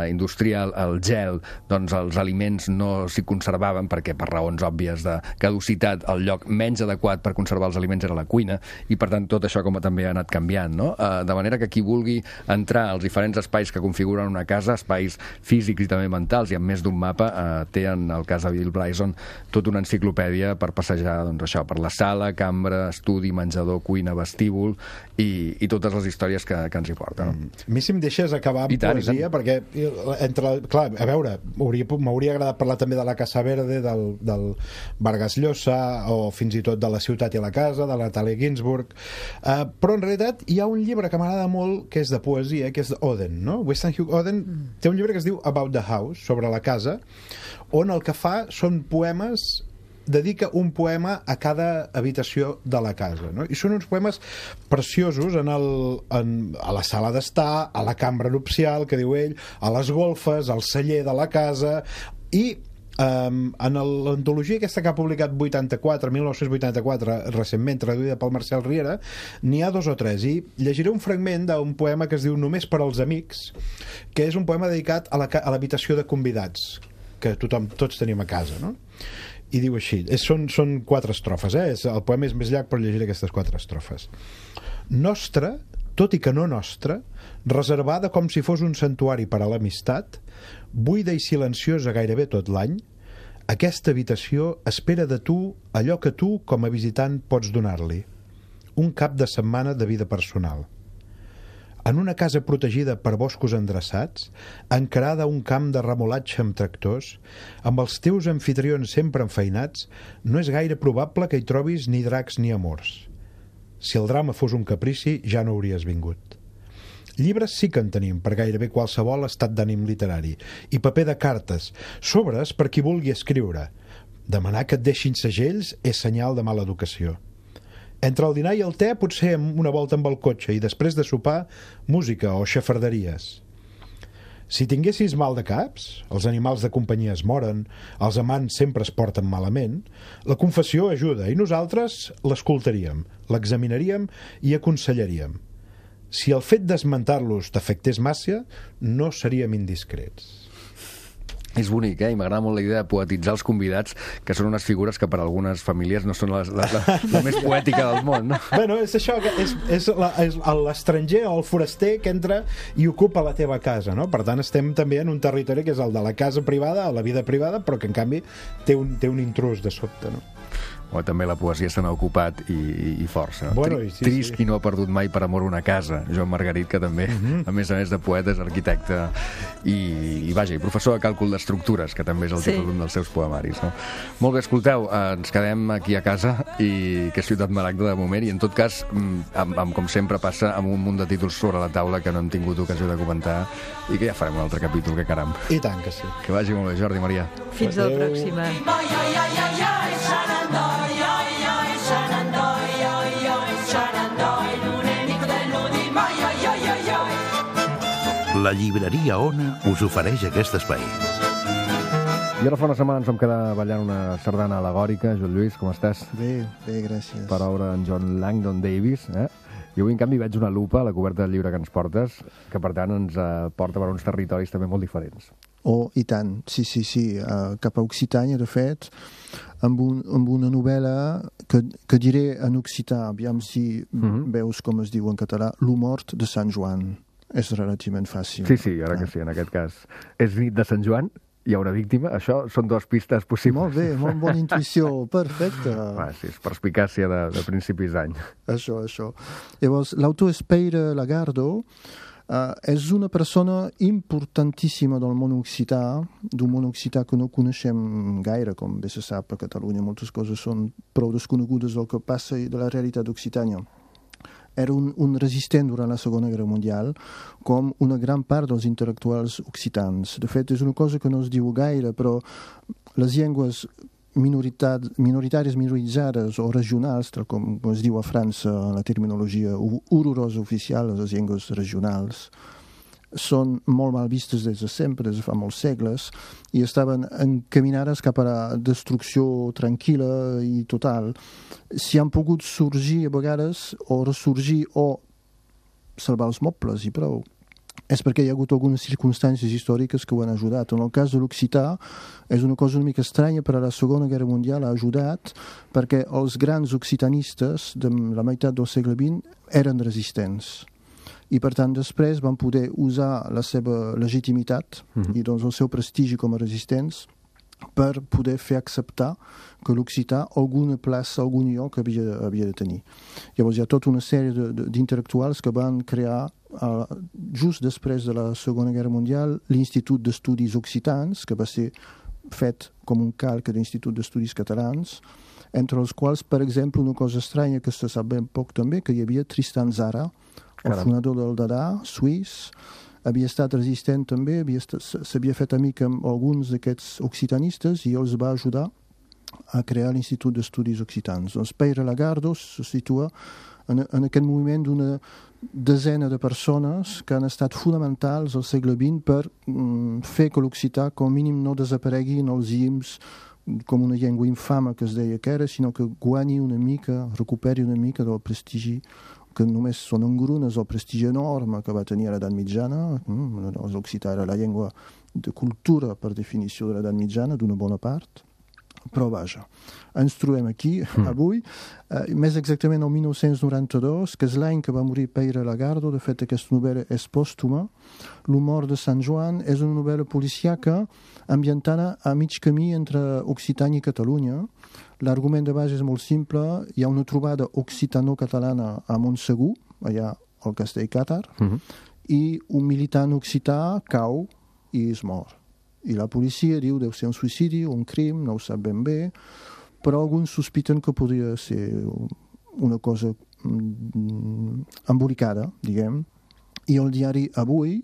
industrial el gel, doncs els aliments no s'hi conservaven perquè per raons òbvies de caducitat el lloc menys adequat per conservar els aliments era la cuina, i per tant tot això com també ha anat canviant, no? De manera que qui vulgui entrar als diferents espais que configuren una casa, espais físics i també mentals, i amb més d'un mapa, té en el cas de Bill Bryson tota una enciclopèdia per passejar, doncs això, per la sala, cambra, estudi, menjador, cuina, vestíbul i totes les històries que ens hi porten. A mi si em deixes acabar amb poesia, perquè clar, a veure, m'hauria agradat parlar també de la Casa Verde, del Vargas Llosa, o fins i tot de La ciutat i la casa, de la Natalia Ginsburg, però en realitat hi ha un llibre que m'agrada molt, que és de poesia, que és Oden, no? Weston Hugh Oden té un llibre que es diu About the House, sobre la casa, on el que fa són poemes, dedica un poema a cada habitació de la casa, no? I són uns poemes preciosos a la sala d'estar, a la cambra nupcial, que diu ell, a les golfes, al celler de la casa, i en l'antologia aquesta que ha publicat 1984, recentment traduïda pel Marcel Riera, n'hi ha 2 o 3, i llegiré un fragment d'un poema que es diu Només per als amics, que és un poema dedicat a l'habitació de convidats que tots tenim a casa, no? I diu així, són 4 estrofes, el poema és més llarg, però llegiré aquestes 4 estrofes. Nostra, tot i que no nostra, reservada com si fos un santuari per a l'amistat, buida i silenciosa gairebé tot l'any, aquesta habitació espera de tu allò que tu, com a visitant, pots donar-li. Un cap de setmana de vida personal. En una casa protegida per boscos endreçats, encarada a un camp de remolatge amb tractors, amb els teus amfitrions sempre enfeinats, no és gaire probable que hi trobis ni dracs ni amors. Si el drama fos un caprici, ja no hauries vingut. Llibres sí que en tenim per gairebé qualsevol estat d'ànim literari, i paper de cartes, sobres per qui vulgui escriure. Demanar que et deixin segells és senyal de mala educació. Entre el dinar i el te, potser una volta amb el cotxe, i després de sopar, música o xafarderies. Si tinguessis mal de caps, els animals de companyia es moren, els amants sempre es porten malament, la confessió ajuda, i nosaltres l'escoltaríem, l'examinaríem i aconsellaríem. Si el fet d'esmentar-los t'afectés massa, no seríem indiscrets. És bonic, i m'agrada molt la idea de poetitzar els convidats, que són unes figures que per a algunes famílies no són la més poètica del món, no? Bueno, és això, és l'estranger o el foraster que entra i ocupa la teva casa, no? Per tant, estem també en un territori que és el de la casa privada, o la vida privada, però que en canvi té un intrús de sobte, no? O també la poesia se n'ha ocupat i força. Bueno, Trist qui no ha perdut mai per amor una casa. Joan Margarit, que també, a més de poeta, és arquitecte i professor de càlcul d'estructures, que també és el títol d'un dels seus poemaris. No? Molt bé, escolteu, ens quedem aquí a casa, i que és Ciutat Maragda de moment, i en tot cas, com sempre passa, amb un munt de títols sobre la taula que no hem tingut ocasió de comentar, i que ja farem un altre capítol, que caram. I tant que sí. Que vagi molt bé, Jordi, Maria. Fins a la pròxima. La llibreria Ona us ofereix aquest espai. I ara fa una setmana ens vam quedar ballant una sardana al·legòrica. Joan Lluís, com estàs? Bé, gràcies. Per obra d'en John Langdon Davis, I avui, en canvi, veig una lupa a la coberta del llibre que ens portes, que, per tant, ens porta per uns territoris també molt diferents. Oh, i tant, sí. Cap a Occitània, de fet, amb una novel·la que diré en occità, aviam si veus com es diu en català, Lo mort de Sant Joan. És relativament fàcil. Sí, ara que sí, en aquest cas. És nit de Sant Joan, hi ha una víctima, això són 2 pistes possibles. Molt bé, molt bona intuïció, perfecte. Sí, és perspicàcia de principis d'any. Això. Llavors, l'autor és Pere Lagardo, és una persona importantíssima del món occità, d'un món occità que no coneixem gaire, com bé se sap a Catalunya. Moltes coses són prou desconegudes del que passa i de la realitat d'Occitània. Era un resistent durant la Segona Guerra Mundial, com una gran part dels intel·lectuals occitans. De fet, és una cosa que no es diu gaire, però les llengües minoritàries, minoritzades o regionals, tal com es diu a França, la terminologia horrorosa oficial, les llengües regionals, són molt mal vistes des de sempre, des de fa molts segles, i estaven encaminades cap a la destrucció tranquil·la i total. Si han pogut sorgir a vegades, o ressorgir, o salvar els mobles i prou, és perquè hi ha hagut algunes circumstàncies històriques que ho han ajudat. En el cas de l'occità és una cosa una mica estranya, però a la Segona Guerra Mundial ha ajudat perquè els grans occitanistes de la meitat del segle XX eren resistents i per tant després van poder usar la seva legitimitat i doncs el seu prestigi com a resistents per poder fer acceptar que l'occità alguna plaça, algun lloc havia de tenir. Llavors hi ha tota una sèrie d'intel·lectuals que van crear just després de la Segona Guerra Mundial l'Institut d'Estudis Occitans, que va ser fet com un calc de l'Institut d'Estudis Catalans, entre els quals, per exemple, una cosa estranya que se sap ben poc també, que hi havia Tristan Tzara, el fonador del Dada, suís, havia estat resistent també, s'havia fet amic amb alguns d'aquests occitanistes i els va ajudar a crear l'Institut d'Estudis Occitans. Doncs Pere Lagardo se situa en aquest moviment d'una desena de persones que han estat fonamentals al segle XX per fer que l'occità com mínim no desaparegui en els llims com una llengua infama que es deia que era, sinó que guanyi una mica, recuperi una mica del prestigi que només són engrunes el prestigi enorme que va tenir a l'edat mitjana. L'occità era la llengua de cultura per definició de l'edat mitjana, d'una bona part. Però vaja, ens trobem aquí avui, més exactament el 1992, que és l'any que va morir Pere Lagardo. De fet, aquesta novel·la és pòstuma. L'humor de Sant Joan és una novel·la policiaca ambientada a mig camí entre Occitània i Catalunya. L'argument de base és molt simple. Hi ha una trobada occitano-catalana a Montsegur, allà al castell càtar, i un militant occità cau i es mor. I la policia diu deu ser un suïcidi o un crim, no ho sap ben bé, però alguns sospiten que podria ser una cosa embolicada, diguem. I el diari Avui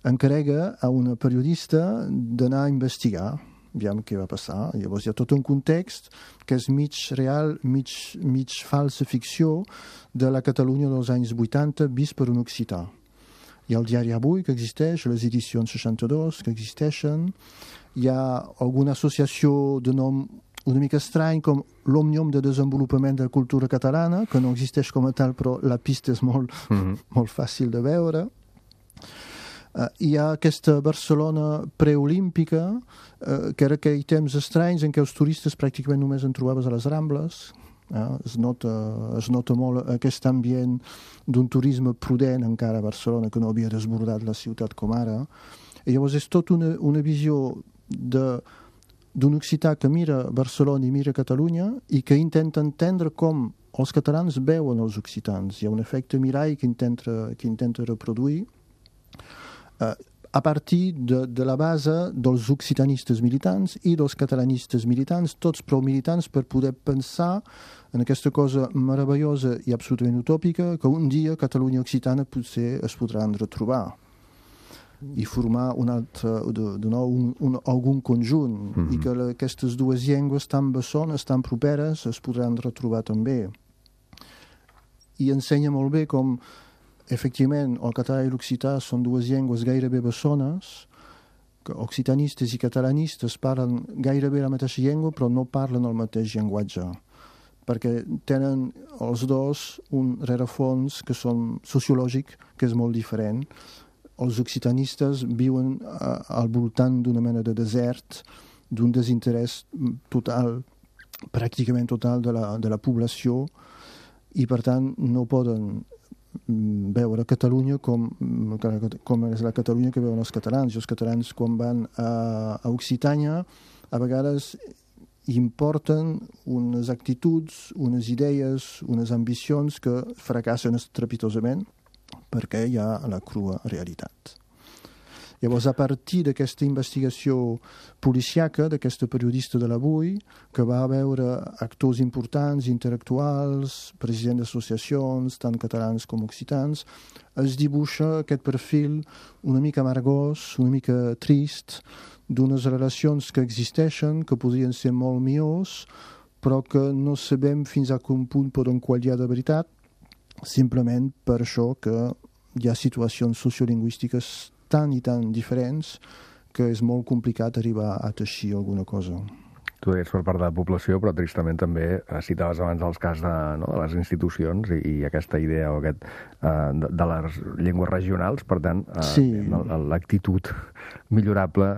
encarrega a una periodista d'anar a investigar, aviam què va passar. Llavors hi ha tot un context que és mig real, mig falsa ficció de la Catalunya dels anys 80 vist per un occità. Hi ha el diari Avui, que existeix, les edicions 62, que existeixen. Hi ha alguna associació de nom una mica estrany, com l'Òmnium de Desenvolupament de la Cultura Catalana, que no existeix com a tal, però la pista és molt fàcil de veure. Hi ha aquesta Barcelona preolímpica, que era aquell temps estranys en què els turistes pràcticament només en trobaves a les Rambles. Es nota molt aquest ambient d'un turisme prudent encara a Barcelona, que no havia desbordat la ciutat com ara. I llavors és tot una visió d'un occità que mira Barcelona i mira Catalunya i que intenta entendre com els catalans veuen els occitans. Hi ha un efecte mirall que intenta reproduir a partir de la base dels occitanistes militants i dels catalanistes militants, tots prou militants per poder pensar en aquesta cosa meravellosa i absolutament utòpica que un dia Catalunya occitana potser es podran retrobar i formar algun conjunt i que aquestes dues llengües tan bessones, tan properes es podran retrobar també. I ensenya molt bé com efectivament, el català i l'occità són dues llengües gairebé bessones, que occitanistes i catalanistes parlen gairebé la mateixa llengua, però no parlen el mateix llenguatge, perquè tenen els dos un rerefons que són sociològic, que és molt diferent. Els occitanistes viuen al voltant d'una mena de desert, d'un desinterès total, pràcticament total de la població, i per tant no poden veure Catalunya com és la Catalunya que veuen els catalans. I els catalans, quan van a Occitània, a vegades importen unes actituds, unes idees, unes ambicions que fracassen estrepitosament perquè hi ha la crua realitat. Llavors, a partir d'aquesta investigació policiaca, d'aquesta periodista de l'Avui, que va veure actors importants, intel·lectuals, presidents d'associacions, tant catalans com occitans, es dibuixa aquest perfil una mica amargós, una mica trist, d'unes relacions que existeixen, que podrien ser molt millors, però que no sabem fins a quin punt poden qualificar de veritat, simplement per això que hi ha situacions sociolingüístiques tan i tan diferents que és molt complicat arribar a teixir alguna cosa. Tu deies per part de la població, però tristament també citaves abans els cas de les institucions i aquesta idea de les llengües regionals, per tant, l'actitud millorable...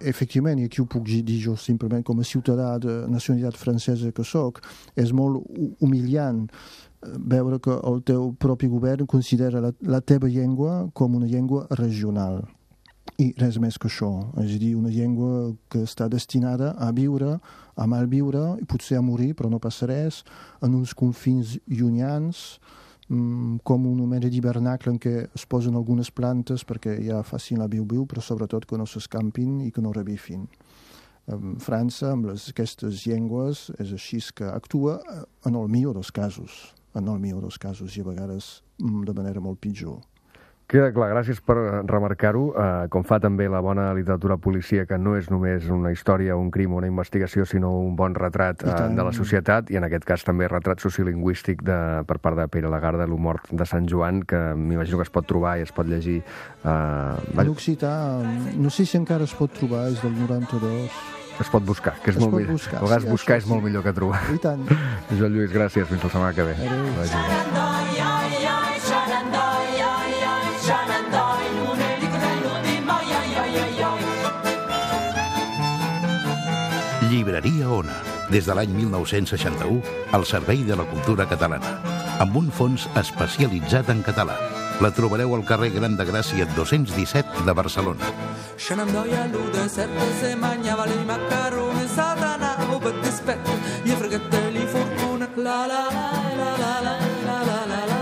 Efectivament, i aquí ho puc dir jo simplement com a ciutadà de nacionalitat francesa que soc, és molt humiliant veure que el teu propi govern considera la teva llengua com una llengua regional. I res més que això, és a dir, una llengua que està destinada a viure, a malviure, i potser a morir, però no passa res, en uns confins llunyans, com una mena d'hivernacle en què es posen algunes plantes perquè ja facin la viu-viu, però sobretot que no s'escampin i que no revifin. França, amb aquestes llengües, és així que actua en el millor dels casos, i a vegades de manera molt pitjor. Queda clar, gràcies per remarcar-ho, com fa també la bona literatura policíaca, no és només una història, un crim o una investigació, sinó un bon retrat de la societat, i en aquest cas també retrat sociolingüístic per part de Pere Lagarde, l'humor de Sant Joan, que m'imagino que es pot trobar i es pot llegir. L'occità, no sé si encara es pot trobar, és del 92... Es pot buscar, que és molt millor. A vegades buscar és molt millor que trobar. I tant. Joan Lluís, gràcies. Fins la setmana que ve. Llibreria Ona, des de l'any 1961, al servei de la cultura catalana, amb un fons especialitzat en català. La trobareu al carrer Gran de Gràcia 217 de Barcelona. Shenandoah lude serpe se mangiava le macaroni satana o per dispetto gli fregatelli fortuna la la la la la la la la la.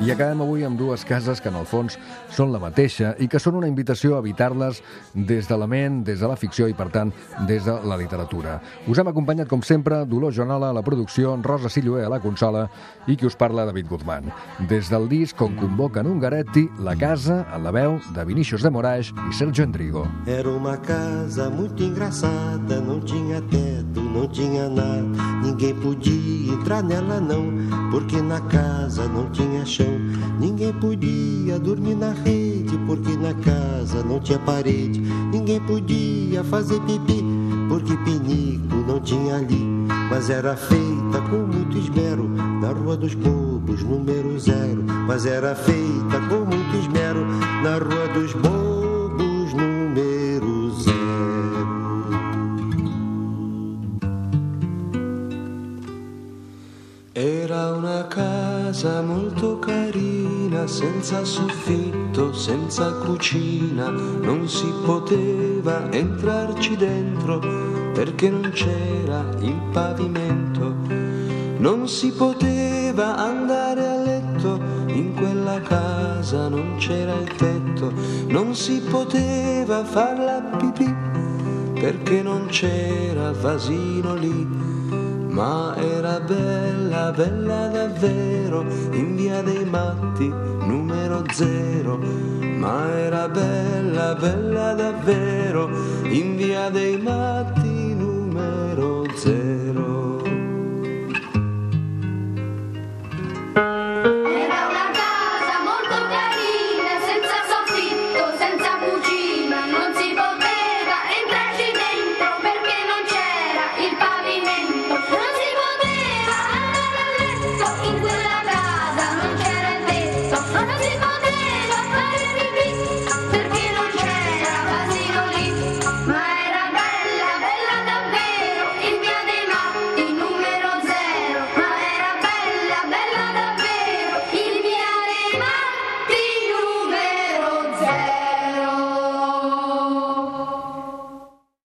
I acabem avui amb dues cases que en el fons són la mateixa i que són una invitació a evitar-les des de la ment, des de la ficció i, per tant, des de la literatura. Us hem acompanyat, com sempre, Dolors Joanola a la producció, Rosa Silloé a la consola i qui us parla, David Guzmán. Des del disc On convoquen Ungaretti, La casa, en la veu de Vinícius de Moraes i Sergio Endrigo. Era uma casa muito engraçada, não tinha teto, não tinha nada, ninguém podia entrar nela não, porque na casa não tinha chão. Ninguém podia dormir na rede, porque na casa não tinha parede. Ninguém podia fazer pipi, porque pinico não tinha ali. Mas era feita com muito esmero, na Rua dos Bobos, número 0. Mas era feita com muito esmero, na Rua dos Bobos, número 0. Era una casa molto carina, senza soffitto, senza cucina, non si poteva entrarci dentro perché non c'era il pavimento, non si poteva andare a letto, in quella casa non c'era il tetto, non si poteva far la pipì perché non c'era vasino lì. Ma era bella, bella davvero, in via dei Matti, numero 0. Ma era bella, bella davvero, in via dei Matti, numero 0.